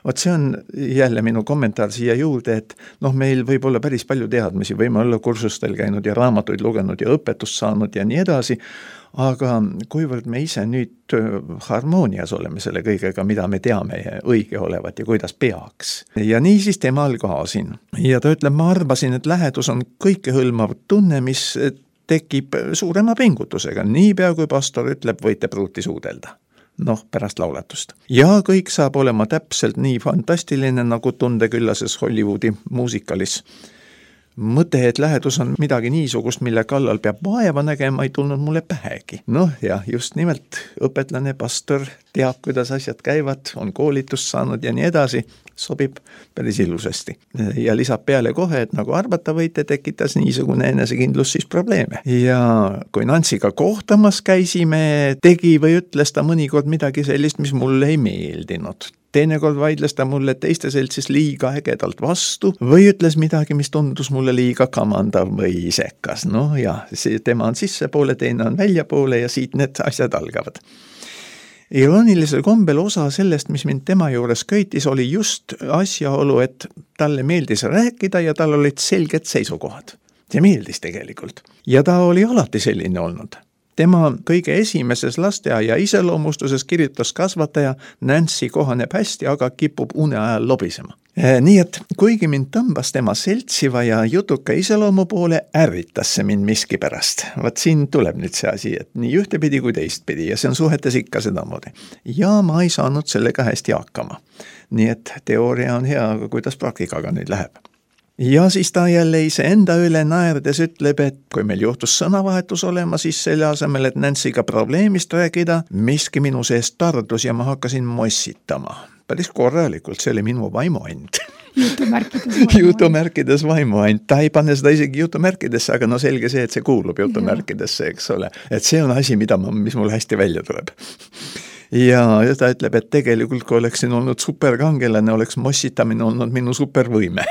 [SPEAKER 3] Vot see on jälle minu kommentaar siia juurde, et meil võib olla päris palju teadmisi, võime olla kursustel käinud ja raamatuid lugenud ja õpetust saanud ja nii edasi, aga kuivõrd me ise nüüd harmoonias oleme selle kõigega, mida me teame õige olevat ja kuidas peaks. Ja nii siis temal ka siin. Ja ta ütleb, ma arvasin, et lähedus on kõikehõlmav tunne, mis tekib suurema pingutusega. Niipea kui pastor ütleb, võite pruuti suudelda. Pärast laulatust. Ja kõik saab olema täpselt nii fantastiline, nagu tundeküllases Hollywoodi muusikalis. Mõte, et lähedus on midagi niisugust, mille kallal peab vaeva nägema, ei tulnud mulle pähegi. Ja just nimelt õpetlane, pastor teab, kuidas asjad käivad, on koolitust saanud ja nii edasi, sobib päris ilusasti. Ja lisab peale kohe, et nagu arvata võite, tekitas niisugune enesekindlus siis probleeme. Ja kui Nantsiga kohtamas käisime, tegi või ütles ta mõnikord midagi sellist, mis mulle ei meeldinud. Teinekord vaidles ta mulle teiste seltsis liiga ägedalt vastu või ütles midagi, mis tundus mulle liiga kamandav või isekas. Tema on sissepoole, teine on väljapoole ja siit need asjad algavad. Iroonilisel kombel osa sellest, mis mind tema juures köitis, oli just asjaolu, et talle meeldis rääkida ja tal olid selged seisukohad. See meeldis tegelikult. Ja ta oli alati selline olnud. Tema kõige esimeses lasteaia iseloomustuses kirjutas kasvataja, Nancy kohaneb hästi, aga kipub une ajal lobisema. Nii et kuigi mind tõmbas tema seltsiva ja jutuka iseloomu poole, ärritas see mind miski pärast. Vaat siin tuleb nüüd see asi, et nii ühtepidi kui teistpidi ja see on suhetes ikka sedamoodi. Ja ma ei saanud sellega hästi hakkama. Nii et teooria on hea, aga kuidas praktikaga nüüd läheb. Ja siis ta jälle iseenda üle naerdes ütleb, et kui meil juhtus sõnavahetus olema, siis selle asemel, et Nancyga probleemist rääkida, miski minu seest tardus ja ma hakkasin mossitama. Päris korralikult, see oli minu vaimuand. Jutumärkides vaimuand. Ta ei pane seda isegi jutumärkidesse, aga selge see, et see kuulub jutumärkidesse, eks ole. Et see on asi, mis mul hästi välja tuleb. Ja ta ütleb, et tegelikult kui oleksin olnud superkangelane, oleks mossitamine olnud minu supervõime.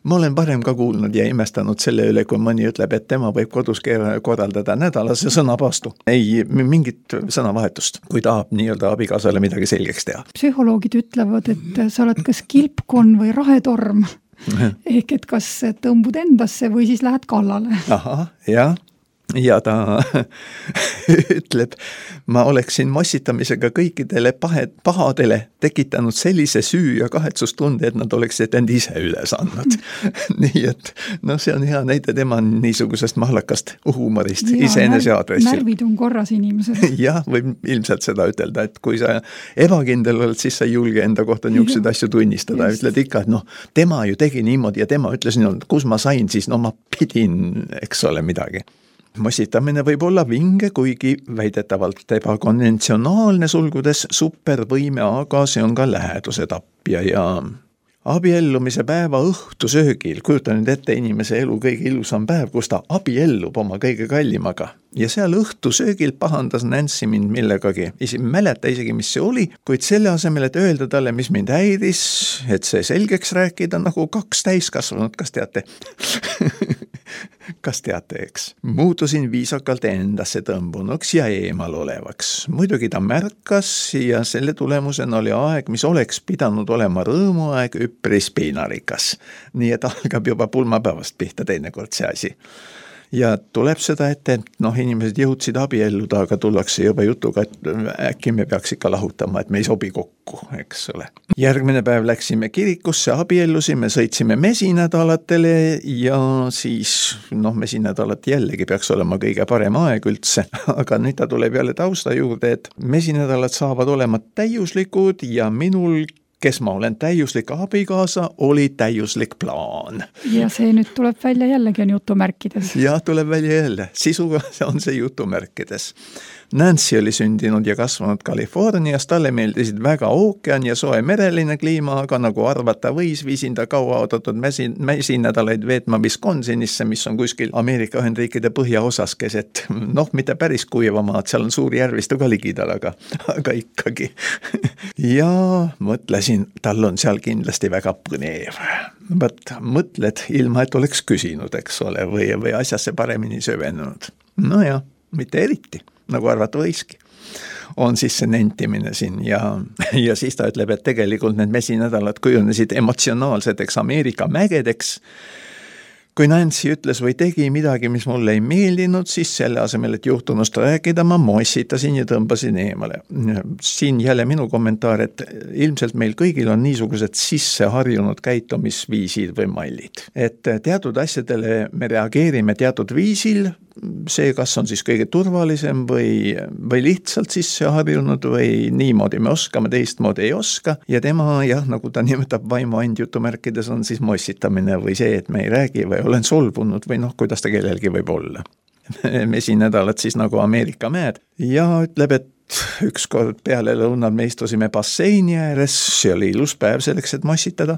[SPEAKER 3] Ma olen varem ka kuulnud ja imestanud selle üle, kui mõni ütleb, et tema võib kodus korraldada nädalase sõnapaastu. Ei mingit sõnavahetust, kui tahab nii-öelda abikaasale midagi selgeks teha.
[SPEAKER 2] Psühholoogid ütlevad, et sa oled kas kilpkonn või rahetorm. Ehk et kas tõmbud endasse või siis lähed kallale.
[SPEAKER 3] Aha, jah. ja ta ütleb, ma oleksin mossitamisega kõikidele pahadele tekitanud sellise süü ja kahetsustunde, et nad oleksid end ise üles andnud. Nii et see on hea näide tema niisugusest mahlakast huumorist iseenese aadressil.
[SPEAKER 2] Närvid on korras inimesed.
[SPEAKER 3] Jah, võib ilmselt seda ütelda, et kui sa ebakindel oled, siis sa ei julge enda kohta niisuguseid asju tunnistada. Ütled ikka, et tema ju tegi niimoodi ja tema ütles niimoodi, kus ma sain, siis ma pidin, eks ole, midagi. Mossitamine võib olla vinge, kuigi väidetavalt ebakonventsionaalne sulgudes supervõime, aga see on ka läheduse tapja ja abiellumise päeva õhtusöögil, kujuta nüüd ette inimese elu kõige ilusam päev, kus ta abiellub oma kõige kallimaga. Ja seal õhtusöögil pahandas Nancy mind millegagi, mäleta isegi, mis see oli, kuid selle asemel, et öelda talle, mis mind häiris, et see selgeks rääkida nagu 2 täiskasvanud, kas teate? Kas teate, eks? Muutusin viisakalt endasse tõmbunuks ja eemal olevaks. Muidugi ta märkas ja selle tulemusena oli aeg, mis oleks pidanud olema rõõmuaeg, üpris piinarikas. Nii et algab juba pulmapäevast pihta teinekord see asi. Ja tuleb seda ette, et inimesed jõudsid abielluda, aga tullakse juba jutuga, et äkki me peaks ikka lahutama, et me ei sobi kokku, eks ole. Järgmine päev läksime kirikusse, abiellusime, sõitsime mesinädalatele ja siis, mesinädalat jällegi peaks olema kõige parem aeg üldse, aga nüüd ta tuleb jälle tausta juurde, et mesinädalad saavad olema täiuslikud ja minul, kes ma olen täiuslik abikaasa, oli täiuslik plaan.
[SPEAKER 2] Ja see nüüd tuleb välja jällegi on jutumärkides.
[SPEAKER 3] Ja tuleb välja jälle. Sisuga on see jutumärkides. Nancy oli sündinud ja kasvanud Californias, talle meeldisid väga ookean ja soe mereline kliima, aga nagu arvata võis, viisin ta kaua oodatud mesinädalaid veetma Wisconsinisse, mis on kuskil Ameerika Ühendriikide põhjaosas keset, mitte päris kuivamaad, seal on suur järvistu ka ligidal, aga ikkagi. Ja mõtlesin, tal on seal kindlasti väga põnev. Mõtled ilma, et oleks küsinud, eks ole, või asjasse paremini sövenud. Ja, mitte eriti. Nagu arvata võiski, on siis see nentimine siin ja siis ta ütleb, et tegelikult need mesinädalad kujunesid emotsionaalseteks Ameerika mägedeks. Kui Nancy ütles või tegi midagi, mis mulle ei meeldinud, siis selle asemel, et juhtunust rääkida, ma mossitasin ja tõmbasin eemale. Siin jälle minu kommentaar, et ilmselt meil kõigil on niisugused sisseharjunud käitumisviisid või mallid. Et teatud asjadele me reageerime teatud viisil, see, kas on siis kõige turvalisem või lihtsalt sisseharjunud või niimoodi me oskame, teistmoodi ei oska. Ja tema, nagu ta nimetab vaimuand jutumärkides, on siis mossitamine või see, et me ei räägi või olen solvunud või kuidas ta kellelgi võib olla. Mesinädalad siis nagu Ameerika mäed ja ütleb, et ükskord peale lõunal me istusime basseini ääres, see oli ilus päev selleks, et mossitada.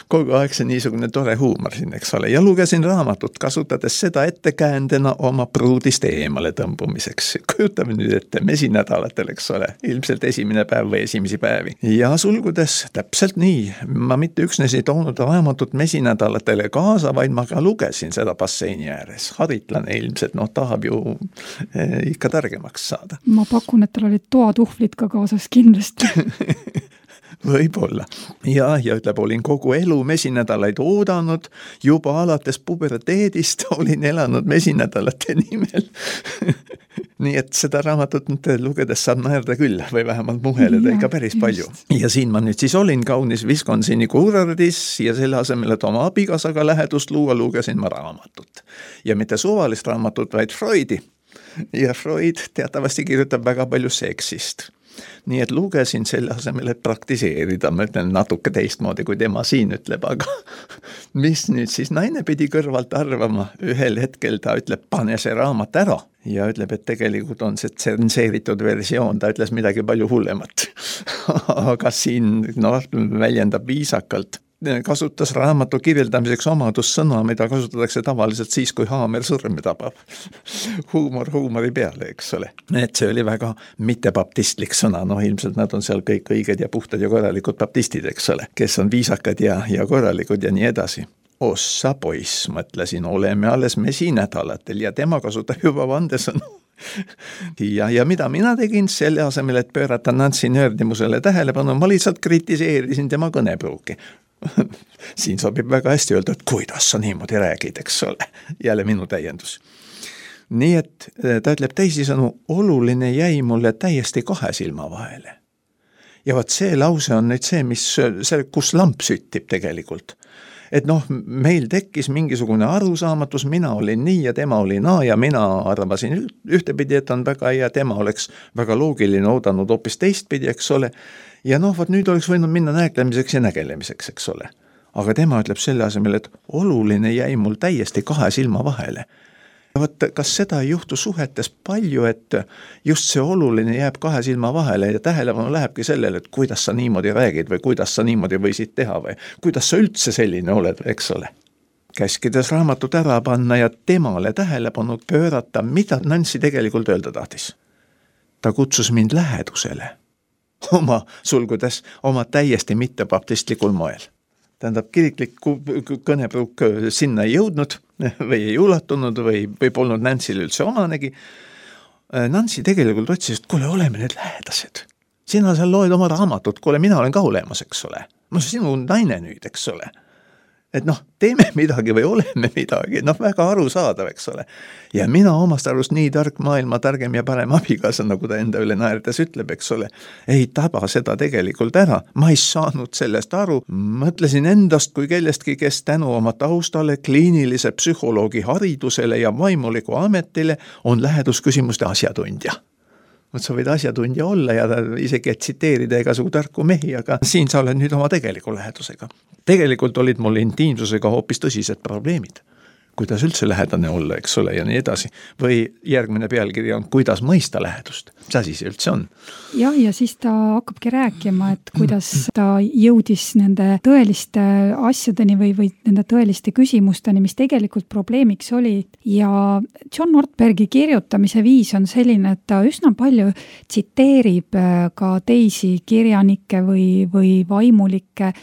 [SPEAKER 3] Kogu aeg see niisugune tore huumor siin, eks ole, ja lugesin raamatut, kasutades seda ettekäändena oma pruudist eemale tõmbumiseks. Kujutame nüüd ette mesinädalatel, eks ole, ilmselt esimene päev või esimesi päevi. Ja sulgudes täpselt nii, ma mitte üksnes ei toonud raamatut mesinädalatele kaasa, vaid ma ka lugesin seda basseini ääres. Haritlane ilmselt, tahab ju ikka targemaks saada.
[SPEAKER 2] Ma pakun, et tal olid toatuhvlid ka kaasas kindlasti.
[SPEAKER 3] Võib-olla. Ja ütleb, olin kogu elu mesinädalaid oodanud, juba alates puberteedist olin elanud mesinädalate nimel. Nii et seda raamatut lugedes saab naerda küll või vähemalt muheleda ikka päris palju. Ja siin ma nüüd siis olin kaunis Wisconsini kuurardis ja selle asemel, et oma abikaasaga lähedust luua, lugesin ma raamatut. Ja mitte suvalist raamatut, vaid Freudi. Ja Freud teatavasti kirjutab väga palju seksist. Nii et lugesin selle asemel, et praktiseerida, ma ütlen natuke teistmoodi, kui tema siin ütleb, aga mis nüüd siis naine pidi kõrvalt arvama, ühel hetkel ta ütleb, pane see raamat ära ja ütleb, et tegelikult on see tsenseeritud versioon, ta ütles midagi palju hullemat. Aga siin väljendab viisakalt. Kasutas raamatu kirjeldamiseks omadussõna, mida kasutatakse tavaliselt siis, kui haamer sõrme tabab. Huumori peale, eks ole. Et see oli väga mittebaptistlik sõna, ilmselt nad on seal kõik õiged ja puhtad ja korralikud baptistid, eks ole, kes on viisakad ja korralikud ja nii edasi. Ossa poiss, mõtlesin, oleme alles mesinädalatel ja tema kasutab juba vandesõnu. Ja mida mina tegin selle asemel, et pöörata Nancy nördimusele tähelepanu, ma lihtsalt kritiseerisin tema kõnepruuki. Siin sobib väga hästi öelda, et kuidas sa niimoodi räägid, eks ole. Jälle minu täiendus. nii et ta ütleb teisisõnu, oluline jäi mulle täiesti kahe silma vahele. Ja vaat see lause on nüüd see, kus lamp süttib tegelikult. Et noh, meil tekkis mingisugune arusaamatus, mina olin nii ja tema oli naa ja mina arvasin ühtepidi, et on väga hea, tema oleks väga loogiline oodanud hoopis teistpidi, eks ole. Ja noh, vaat nüüd oleks võinud minna näeklemiseks ja nägelemiseks, eks ole. Aga tema ütleb selle asemel, et oluline jäi mul täiesti kahe silma vahele. Vaat, kas seda ei juhtu suhetes palju, et just see oluline jääb kahe silma vahele ja tähelepanu lähebki sellele, et kuidas sa niimoodi räägid või kuidas sa niimoodi võisid teha või kuidas sa üldse selline oled, eks ole. Käskides raamatut ära panna ja temale tähelepanu pöörata, mida Nancy tegelikult öelda tahtis. Ta kutsus mind lähedusele, oma täiesti mittebaptistlikul moel. Tähendab, kiriklik kõnepruuk sinna ei jõudnud või ei ulatunud või polnud Nancy'l üldse omanegi. Nancy tegelikult otsis, et kuule, oleme need lähedased. Sina seal loed oma raamatut, kuule, mina olen ka olemas, eks ole. No sinu naine nüüd, eks ole. Et noh, teeme midagi või oleme midagi, noh väga arusaadav, eks ole. Ja mina omast arust nii tark maailma targem ja parem abikaasa, nagu ta enda üle naerdes ütleb, eks ole, ei taba seda tegelikult ära. Ma ei saanud sellest aru, mõtlesin endast kui kellestki, kes tänu oma taustale, kliinilise psühholoogi haridusele ja vaimuliku ametile on lähedusküsimuste asjatundja. Mõt sa võid asjatundja olla ja isegi tsiteerida igasugu tarku mehi, aga siin sa oled nüüd oma tegeliku lähedusega. Tegelikult olid mul intiimsusega hoopis tõsised probleemid. Kuidas üldse lähedane olla, eks ole, ja nii edasi. Või järgmine pealkiri on, kuidas mõista lähedust. Mis asi see üldse on?
[SPEAKER 2] Ja siis ta hakkabki rääkima, et kuidas ta jõudis nende tõeliste asjadeni või nende tõeliste küsimusteni, mis tegelikult probleemiks oli. Ja John Ortbergi kirjutamise viis on selline, et ta üsna palju tsiteerib ka teisi kirjanikke või vaimulikke.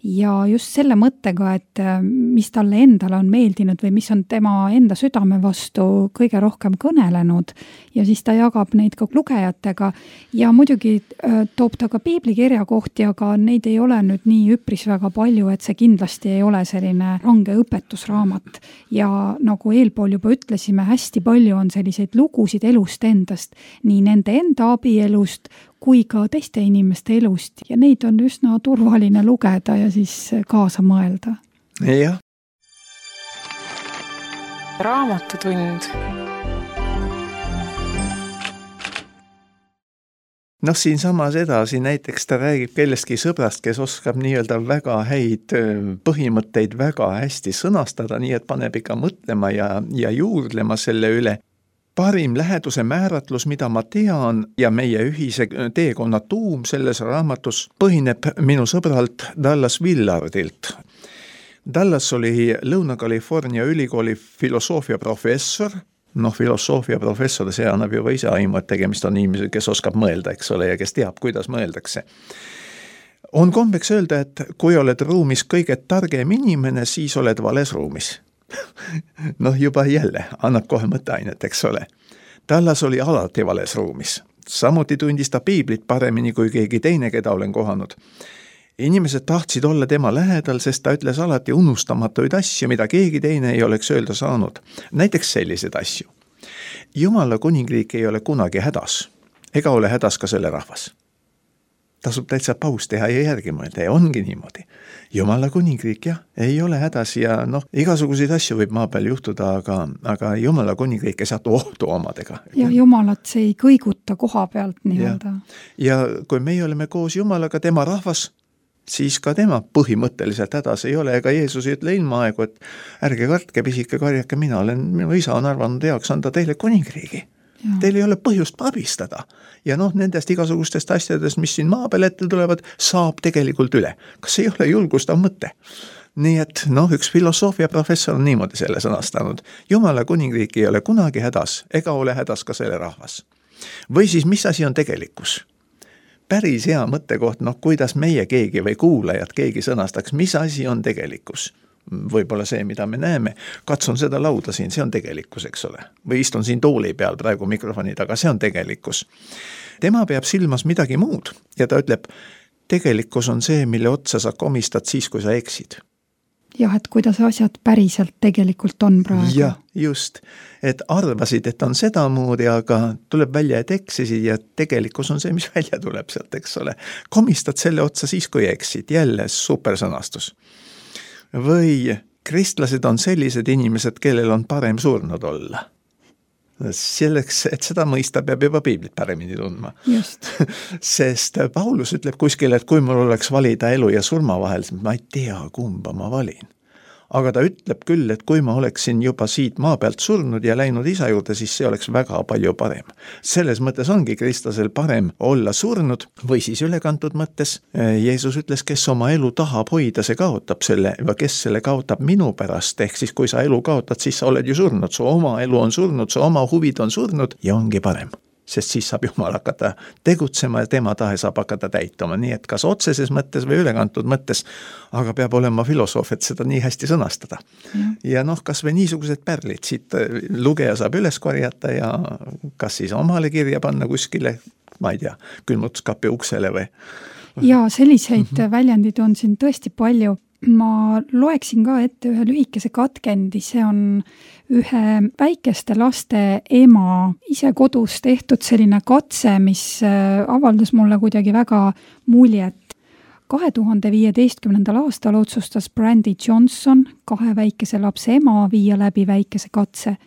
[SPEAKER 2] Ja just selle mõttega, et mis talle endale on meeldinud või mis on tema enda südame vastu kõige rohkem kõnelenud ja siis ta jagab neid ka lugejatega ja muidugi toob ta ka piiblikirja kohti, aga neid ei ole nüüd nii üpris väga palju, et see kindlasti ei ole selline range õpetusraamat ja nagu eelpool juba ütlesime, hästi palju on selliseid lugusid elust endast, nii nende enda abielust kui ka teiste inimeste elust ja neid on üsna turvaline lugeda ja siis kaasa mõelda.
[SPEAKER 3] Jah.
[SPEAKER 1] Raamatutund.
[SPEAKER 3] Noh, siin samas edasi näiteks ta räägib kellestki sõbrast, kes oskab nii-öelda väga häid põhimõtteid väga hästi sõnastada, nii et paneb ikka mõtlema ja juurdlema selle üle. Parim läheduse määratlus, mida ma tean ja meie ühise teekonna tuum selles raamatus põhineb minu sõbralt Dallas Willardilt. Dallas oli Lõuna-California ülikooli filosoofia professor. Noh, filosoofia professor, see annab juba ise aimu, et tegemist on inimesed, kes oskab mõelda, eks ole, ja kes teab, kuidas mõeldakse. On kombeks öelda, et kui oled ruumis kõige targem inimene, siis oled vales ruumis. Noh, juba jälle annab kohe mõtteainet, eks ole. Dallas oli alati vales ruumis. Samuti tundis ta piiblit paremini kui keegi teine, keda olen kohanud. Inimesed tahtsid olla tema lähedal, sest ta ütles alati unustamatuid asju, mida keegi teine ei oleks öelda saanud. Näiteks sellised asju. Jumala kuningriik ei ole kunagi hädas, ega ole hädas ka selle rahvas. Tasub täitsa paus teha ja järgi mõelda ja ongi niimoodi. Jumala kuningriik, jah, ei ole hädas ja noh, igasuguseid asju võib maa peal juhtuda, aga Jumala kuningriik ei saatu ohtu omadega.
[SPEAKER 2] Ja Jumalat see ei kõiguta koha pealt nii-öelda.
[SPEAKER 3] Ja kui meie oleme koos Jumalaga, tema rahvas, siis ka tema põhimõtteliselt hädas ei ole, ega Jeesus ei ütle ilma aegu, et ärge kartke, pisike karjake, minu isa on arvanud heaks anda teile kuningriigi. Ja. Teil ei ole põhjust abistada. Ja noh, nendest igasugustest asjadest, mis siin maa peal ette tulevad, saab tegelikult üle. Kas ei ole julgustav mõte? Nii et noh, üks filosoofia professor on niimoodi selle sõnastanud. Jumala kuningriik ei ole kunagi hädas, ega ole hädas ka selle rahvas. Või siis, mis asi on tegelikkus? Päris hea mõttekoht, noh, kuidas meie keegi või kuulajad keegi sõnastaks, mis asi on tegelikkus? Võib-olla see, mida me näeme, katsun seda lauda siin, see on tegelikkus, eks ole. Või istun siin tooli peal praegu mikrofoni taga, see on tegelikkus. Tema peab silmas midagi muud ja ta ütleb, tegelikkus on see, mille otsa sa komistad siis, kui sa eksid.
[SPEAKER 2] jah, et kuidas asjad päriselt tegelikult on praegu.
[SPEAKER 3] Jah, just. Et arvasid, et on sedamoodi, aga tuleb välja, et eksisid ja tegelikkus on see, mis välja tuleb sealt, eks ole. Komistad selle otsa siis, kui eksid. Jälle supersõnastus. Või kristlased on sellised inimesed, kellel on parem surnud olla. Selleks, et seda mõista, peab juba piiblit paremini tundma.
[SPEAKER 2] Just.
[SPEAKER 3] Sest Paulus ütleb kuskil, et kui mul oleks valida elu ja surma vahel, siis ma ei tea, kumba ma valin. Aga ta ütleb küll, et kui ma oleksin juba siit maa pealt surnud ja läinud isa juurde, siis see oleks väga palju parem. Selles mõttes ongi kristlasel parem olla surnud või siis ülekantud mõttes. Jeesus ütles, kes oma elu tahab hoida, see kaotab selle, või kes selle kaotab minu pärast, ehk siis kui sa elu kaotad, siis sa oled ju surnud, su oma elu on surnud, su oma huvid on surnud ja ongi parem. Sest siis saab Jumal hakata tegutsema ja tema tahe saab hakata täituma. Nii et kas otseses mõttes või ülekantud mõttes, aga peab olema filosoof, et seda nii hästi sõnastada. Ja kas või niisugused pärlid siit lugeja saab üles korjata ja kas siis omale kirja panna kuskile, ma ei tea, külmutuskapi uksele või?
[SPEAKER 2] Ja selliseid väljendid on siin tõesti palju. Ma loeksin ka ette ühe lühikese katkendi, see on ühe väikeste laste ema ise kodus tehtud selline katse, mis avaldas mulle kuidagi väga muljet. 2015. aastal otsustas Brandy Johnson, 2 väikese lapse ema, viia läbi väikese katse.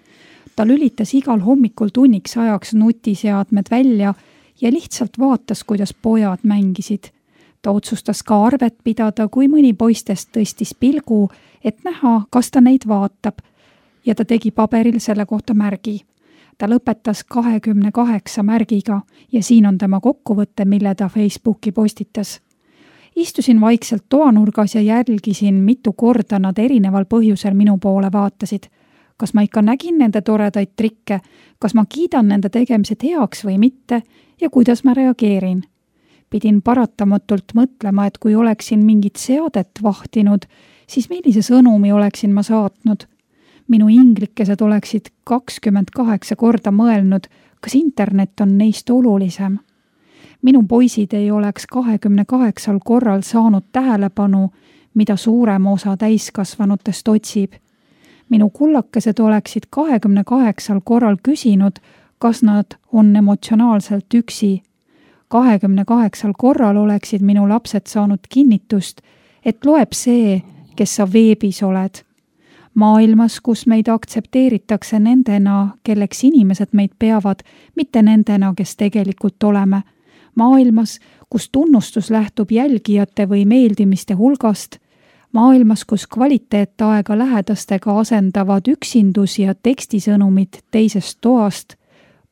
[SPEAKER 2] Ta lülitas igal hommikul tunniks ajaks nutiseadmed välja ja lihtsalt vaatas, kuidas pojad mängisid. Ta otsustas ka arvet pidada, kui mõni poistest tõstis pilgu, et näha, kas ta neid vaatab. Ja ta tegi paberil selle kohta märgi. Ta lõpetas 28 märgiga ja siin on tema kokkuvõte, mille ta Facebooki postitas. Istusin vaikselt toanurgas ja jälgisin, mitu korda nad erineval põhjusel minu poole vaatasid. Kas ma ikka nägin nende toredaid trikke, kas ma kiidan nende tegemised heaks või mitte ja kuidas ma reageerin. Pidin paratamatult mõtlema, et kui oleksin mingit seadet vahtinud, siis millise sõnumi oleksin ma saatnud. Minu inglikesed oleksid 28 korda mõelnud, kas internet on neist olulisem. Minu poisid ei oleks 28 korral saanud tähelepanu, mida suurem osa täiskasvanutest otsib. Minu kullakesed oleksid 28 korral küsinud, kas nad on emotsionaalselt üksi. 28 korral oleksid minu lapsed saanud kinnitust, et loeb see, kes sa veebis oled. Maailmas, kus meid aktsepteeritakse nendena, kelleks inimesed meid peavad, mitte nendena, kes tegelikult oleme. Maailmas, kus tunnustus lähtub jälgijate või meeldimiste hulgast. Maailmas, kus kvaliteetaega lähedastega asendavad üksindus ja tekstisõnumid teisest toast.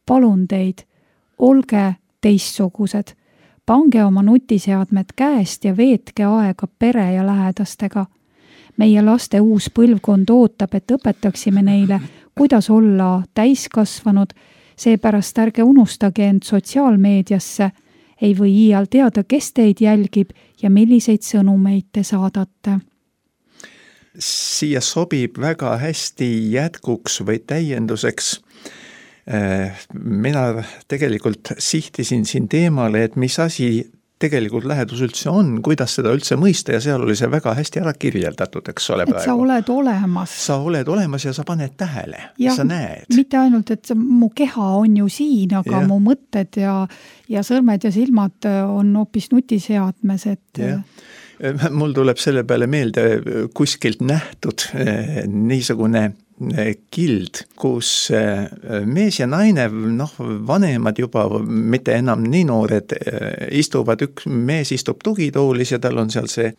[SPEAKER 2] Palun teid, olge teistsugused. Pange oma nutiseadmed käest ja veetke aega pere ja lähedastega. Meie laste uus põlvkond ootab, et õpetaksime neile, kuidas olla täiskasvanud, seepärast ärge unustage end sotsiaalmeediasse, ei või iial teada, kes teid jälgib ja milliseid sõnumeid te saadate.
[SPEAKER 3] Siia sobib väga hästi jätkuks või täienduseks. Mina tegelikult sihtisin siin teemale, et mis asi tegelikult lähedus üldse on, kuidas seda üldse mõista ja seal oli see väga hästi ära kirjeldatud, eks ole praegu.
[SPEAKER 2] Et sa oled olemas.
[SPEAKER 3] Sa oled olemas ja sa paned tähele ja sa näed.
[SPEAKER 2] Mitte ainult, et mu keha on ju siin, aga mu mõtted ja sõrmed ja silmad on hoopis nutiseadmes, et...
[SPEAKER 3] Ja. Mul tuleb selle peale meelde kuskilt nähtud niisugune kild, kus mees ja naine, vanemad juba, mitte enam nii noored, istuvad, mees istub tugitoolis ja tal on seal see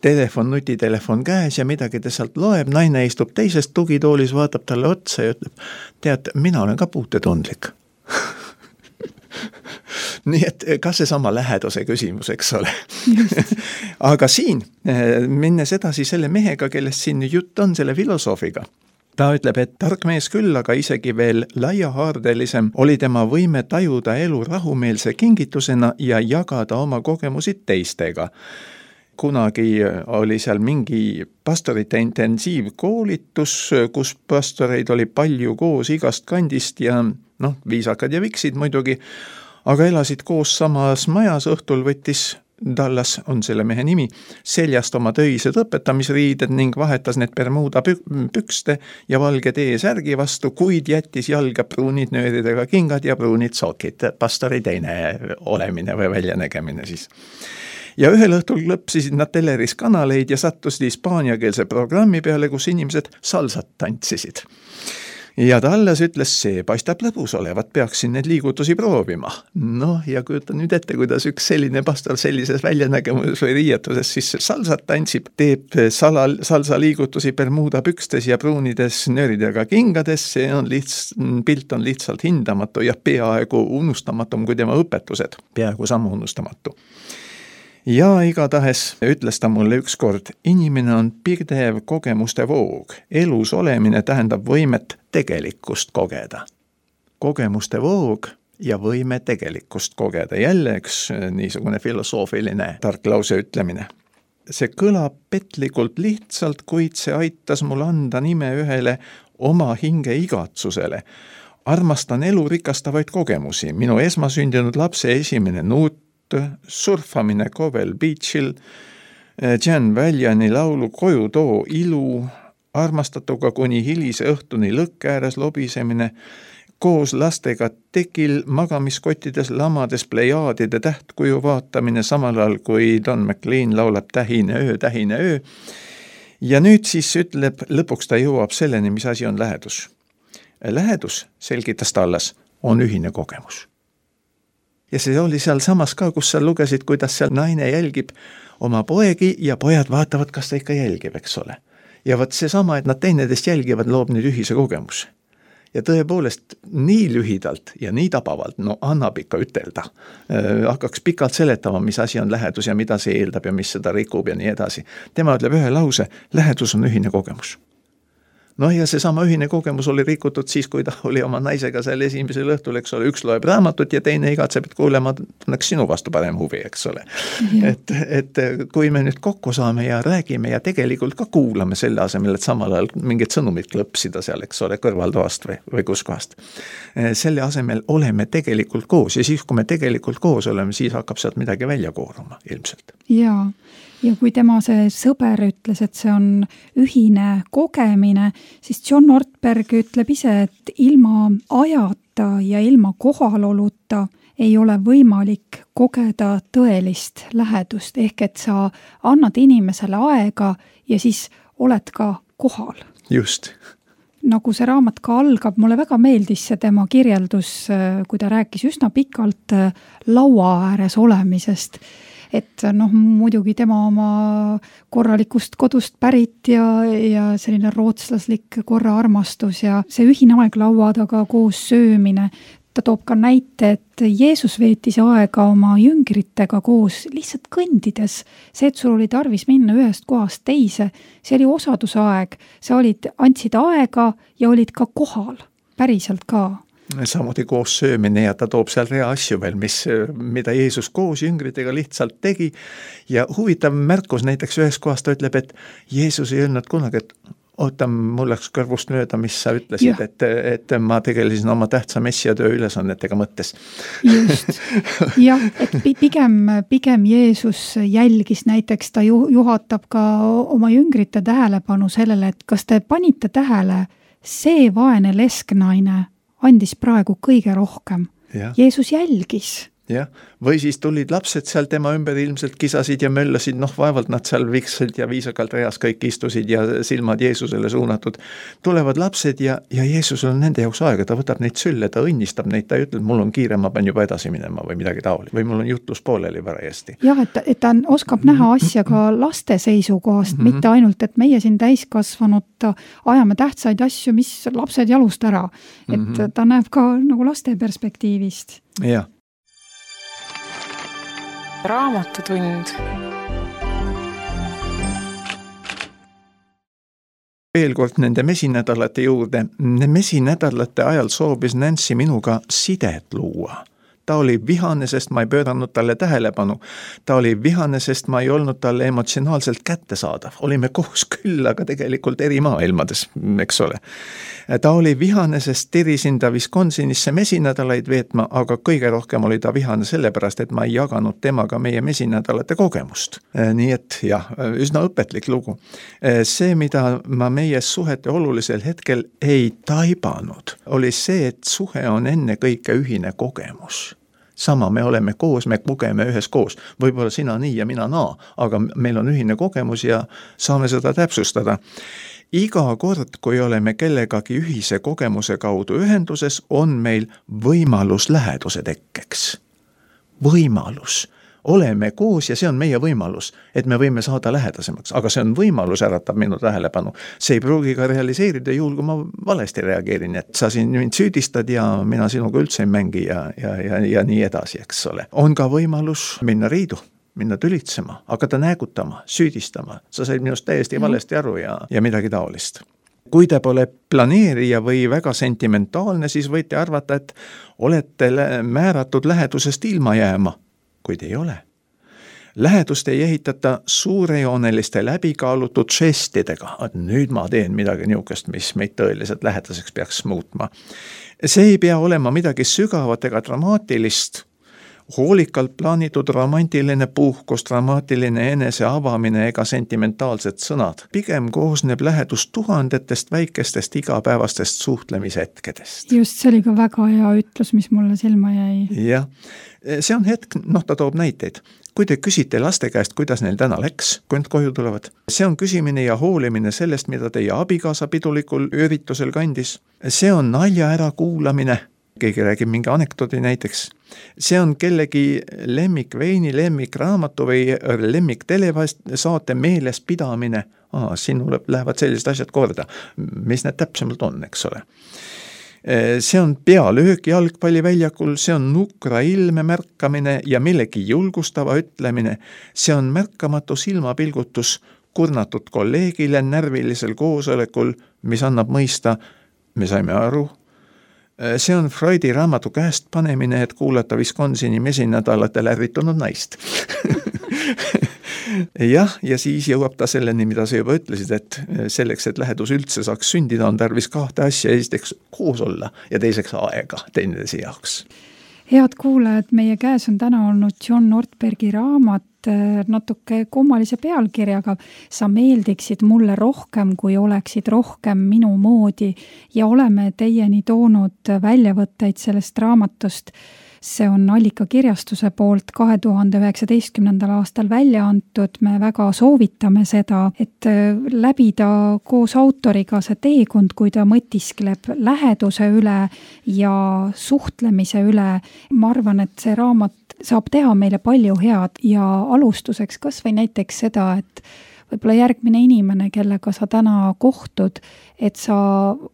[SPEAKER 3] nutitelefon käes ja midagi ta sealt loeb, naine istub teisest tugitoolis, vaatab talle otsa ja ütleb, tead, mina olen ka puutetundlik. Nii et ka see sama läheduse küsimus, eks ole. Aga siin, minnes edasi selle mehega, kellest siin jutt on, selle filosoofiga, ta ütleb, et tark mees küll, aga isegi veel laiahaardelisem oli tema võime tajuda elu rahumeelse kingitusena ja jagada oma kogemusi teistega. Kunagi oli seal mingi pastorite intensiivkoolitus, kus pastoreid oli palju koos igast kandist ja viisakad ja viksid muidugi, aga elasid koos samas majas, õhtul võttis Dallas on selle mehe nimi, seljast oma töised õpetamisriided ning vahetas need Bermuda pükste ja valge T-särgi vastu, kuid jättis jalga pruunid nööridega kingad ja pruunid sokid. Pastori teine olemine või väljanägemine siis. Ja ühel õhtul lõpsisid nad teleris kanaleid ja sattusid hispaaniakeelse programmi peale, kus inimesed salsat tantsisid. Ja Dallas ütles, see paistab lõbus olevat, peaksin need liigutusi proovima. Noh, ja kujuta nüüd ette, kuidas üks selline pastor sellises väljanägemuses või riietuses siis salsat tantsib, teeb salsa liigutusi Bermuda pükstes ja pruunides nööridega kingades, see on pilt on lihtsalt hindamatu ja peaaegu unustamatum kui tema õpetused, peaaegu sama unustamatu. Ja igatahes ütles ta mulle ükskord, inimene on pidev kogemuste voog. Elus olemine tähendab võimet tegelikkust kogeda. Kogemuste voog ja võime tegelikkust kogeda. Jälle üks niisugune filosoofiline tark lause ütlemine. See kõlab petlikult lihtsalt, kuid see aitas mul anda nime ühele oma hinge igatsusele. Armastan elu rikastavaid kogemusi. Minu esmasündinud lapse esimene nuut, surfamine Cowell Beachil, Jan Valjani laulu Koju too ilu, armastatuga kuni hilise õhtuni lõkke ääres lobisemine, koos lastega tekil magamiskottides lamades plejaadide tähtkuju vaatamine samal ajal, kui Don McLean laulab tähine öö. Ja nüüd siis ütleb, lõpuks ta jõuab selleni, mis asi on lähedus. Lähedus, selgitas Dallas, on ühine kogemus. Ja see oli seal samas ka, kus sa lugesid, kuidas seal naine jälgib oma poegi ja pojad vaatavad, kas ta ikka jälgib, eks ole. Ja võt see sama, et nad teineteist jälgivad, loob nüüd ühise kogemuse. Ja tõepoolest nii lühidalt ja nii tabavalt, no annab ikka ütelda. Hakkaks pikalt seletama, mis asi on lähedus ja mida see eeldab ja mis seda rikub ja nii edasi. Tema ütleb ühe lause, lähedus on ühine kogemus. Noh ja see sama ühine kogemus oli rikutud siis, kui ta oli oma naisega seal esimesel õhtul, eks ole, üks loeb raamatut ja teine igatseb, et kuule, ma tunneks sinu vastu parem huvi, eks ole. Et kui me nüüd kokku saame ja räägime ja tegelikult ka kuulame selle asemel, et samal ajal mingid sõnumid klõpsida seal, eks ole, kõrvaltoast või kuskohast. Selle asemel oleme tegelikult koos ja siis, kui me tegelikult koos oleme, siis hakkab sealt midagi välja kooruma ilmselt.
[SPEAKER 2] Jaa. Ja kui tema see sõber ütles, et see on ühine kogemine, siis John Ortberg ütleb ise, et ilma ajata ja ilma kohaloluta ei ole võimalik kogeda tõelist lähedust, ehk et sa annad inimesele aega ja siis oled ka kohal.
[SPEAKER 3] Just.
[SPEAKER 2] Nagu see raamat ka algab, mulle väga meeldis see tema kirjeldus, kui ta rääkis üsna pikalt laua ääres olemisest. Et noh, muidugi tema oma korralikust kodust pärit ja selline rootslaslik korraarmastus ja see ühine aeg laua taga koos söömine. Ta toob ka näite, et Jeesus veetis aega oma jüngritega koos lihtsalt kõndides. See, et sul oli tarvis minna ühest kohast teise, see oli osadusaeg. Sa andsid aega ja olid ka kohal, päriselt ka.
[SPEAKER 3] Samuti koos söömine ja ta toob seal rea asju veel, mida Jeesus koos jüngritega lihtsalt tegi. Ja huvitav märkus näiteks ühes kohas ta ütleb, et Jeesus ei öelnud kunagi, et oota, mul läks kõrvust mööda, mis sa ütlesid, et ma tegelesin oma tähtsa messiatöö ülesannetega mõttes.
[SPEAKER 2] Just. Jah, et pigem Jeesus jälgis näiteks, ta juhatab ka oma jüngrite tähelepanu sellele, et kas te panite tähele, see vaene lesknaine andis praegu kõige rohkem. Ja. Jeesus jälgis.
[SPEAKER 3] Jah, või siis tulid lapsed seal tema ümber ilmselt kisasid ja möllasid, vaevalt nad seal viksid ja viisakalt reas kõik istusid ja silmad Jeesusele suunatud. Tulevad lapsed ja Jeesusel on nende jaoks aega, ta võtab neid sülle, ta õnnistab neid, ta ütleb, mul on kiire, ma pean juba edasi minema või midagi taoli, või mul on jutlus pooleli varajasti.
[SPEAKER 2] Jah, et ta oskab näha asja ka laste seisukohast, mitte ainult, et meie siin täiskasvanud ajame tähtsaid asju, mis lapsed jalust ära. Et ta näeb ka nagu laste perspektiivist.
[SPEAKER 3] Jah.
[SPEAKER 1] Raamatutund.
[SPEAKER 3] Veel kord nende mesinädalate juurde. Mesinädalate ajal soobis Nancy minuga sidet luua. ta oli vihane, sest ma ei pööranud talle tähelepanu. Ta oli vihane, sest ma ei olnud talle emotsionaalselt kättesaadav. Olime koos küll, aga tegelikult eri maailmades, eks ole. Ta oli vihane, sest tirisin ta Wisconsinisse mesinädalaid veetma, aga kõige rohkem oli ta vihane sellepärast, et ma ei jaganud temaga meie mesinädalate kogemust. Nii et jah, üsna õpetlik lugu. See, mida ma meie suhete olulisel hetkel ei taibanud, oli see, et suhe on enne kõike ühine kogemus. Sama, me oleme koos, me kogeme ühes koos. Võib-olla sina nii ja mina naa, aga meil on ühine kogemus ja saame seda täpsustada. Iga kord, kui oleme kellegagi ühise kogemuse kaudu ühenduses, on meil võimalus läheduse tekkeks. Võimalus. Oleme koos ja see on meie võimalus, et me võime saada lähedasemaks, aga see on võimalus, äratab minu tähelepanu. See ei pruugi ka realiseerida juhul, kui ma valesti reageerin, et sa siin mind süüdistad ja mina sinuga üldse ei mängi ja nii edasi, eks ole. On ka võimalus minna riidu, minna tülitsema, hakata näägutama, süüdistama. Sa said minust täiesti valesti aru ja midagi taolist. Kui te pole planeerija või väga sentimentaalne, siis võite arvata, et olete määratud lähedusest ilma jääma, kuid ei ole. Lähedust ei ehitata suurejooneliste läbikaalutud žestidega, et nüüd ma teen midagi niukest, mis meid tõeliselt lähedaseks peaks muutma. See ei pea olema midagi sügavat ega dramaatilist, hoolikalt plaanitud romantiline puhkus, dramaatiline enese avamine ega sentimentaalsed sõnad. Pigem koosneb lähedus tuhandetest väikestest igapäevastest suhtlemishetkedest.
[SPEAKER 2] Just, see oli ka väga hea ütlus, mis mulle silma jäi.
[SPEAKER 3] Jah, see on hetk, ta toob näiteid. Kui te küsite laste käest, kuidas neil täna läks, kui nad koju tulevad, see on küsimine ja hoolimine sellest, mida teie abikaasa pidulikul üritusel kandis. See on nalja ära kuulamine. Keegi räägib mingi anekdoodi näiteks. See on kellegi lemmikveini, lemmikraamatu või lemmik telesaate meeles pidamine. Sinule lähevad sellised asjad korda. Mis need täpsemalt on, eks ole? See on pealöök jalgpalliväljakul, see on nukra ilme märkamine ja millegi julgustava ütlemine. See on märkamatu silmapilgutus kurnatud kolleegile närvilisel koosolekul, mis annab mõista, me saime aru. See on Freudi raamatu käest panemine, et kuulata Wisconsini mesinädalatel ärritunud naist. Jah, ja siis jõuab ta selleni, mida sa juba ütlesid, et selleks, et lähedus üldse saaks sündida, on tarvis kahte asja, esiteks koos olla ja teiseks aega teineteise jaoks.
[SPEAKER 2] Head kuulajad, meie käes on täna olnud John Ortbergi raamat natuke kummalise pealkirjaga. Sa meeldiksid mulle rohkem, kui oleksid rohkem minu moodi ja oleme teieni toonud väljavõtteid sellest raamatust. See on Allika kirjastuse poolt 2019. aastal välja antud. Me väga soovitame seda, et läbida koos autoriga see teekond, kui ta mõtiskleb läheduse üle ja suhtlemise üle. Ma arvan, et see raamat saab teha meile palju head ja alustuseks kas või näiteks seda, et võib-olla järgmine inimene, kellega sa täna kohtud, et sa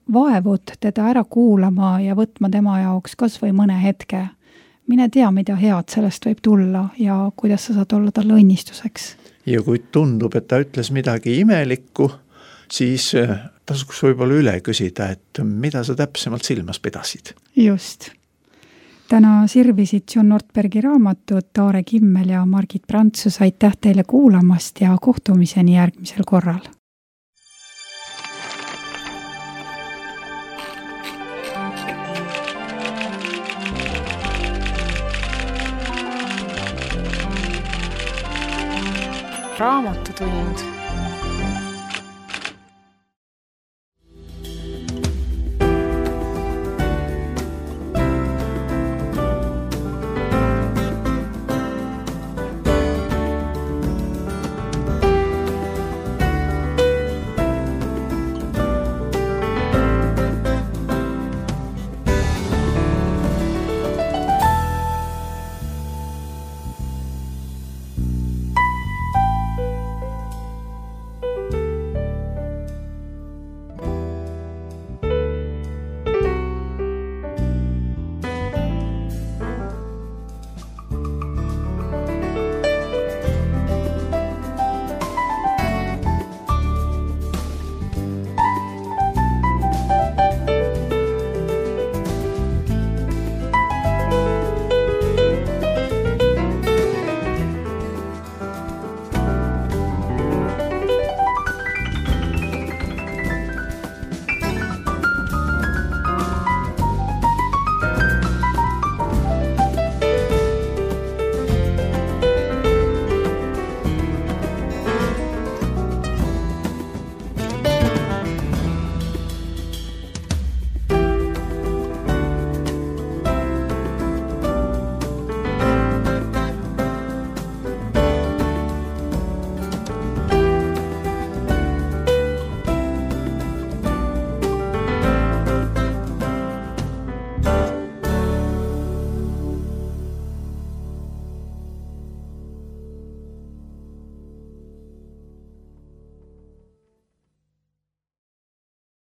[SPEAKER 2] vaevud teda ära kuulama ja võtma tema jaoks kas või mõne hetke. Mine tea, mida head sellest võib tulla ja kuidas sa saad olla talle õnnistuseks.
[SPEAKER 3] Ja kui tundub, et ta ütles midagi imelikku, siis tasuks võib-olla üle küsida, et mida sa täpsemalt silmas pidasid.
[SPEAKER 2] Just. Täna sirvisid John Ortbergi raamatud Taare Kimmel ja Margit Prantsus. Aitäh teile kuulamast ja kohtumiseni järgmisel korral.
[SPEAKER 1] Raamatutund.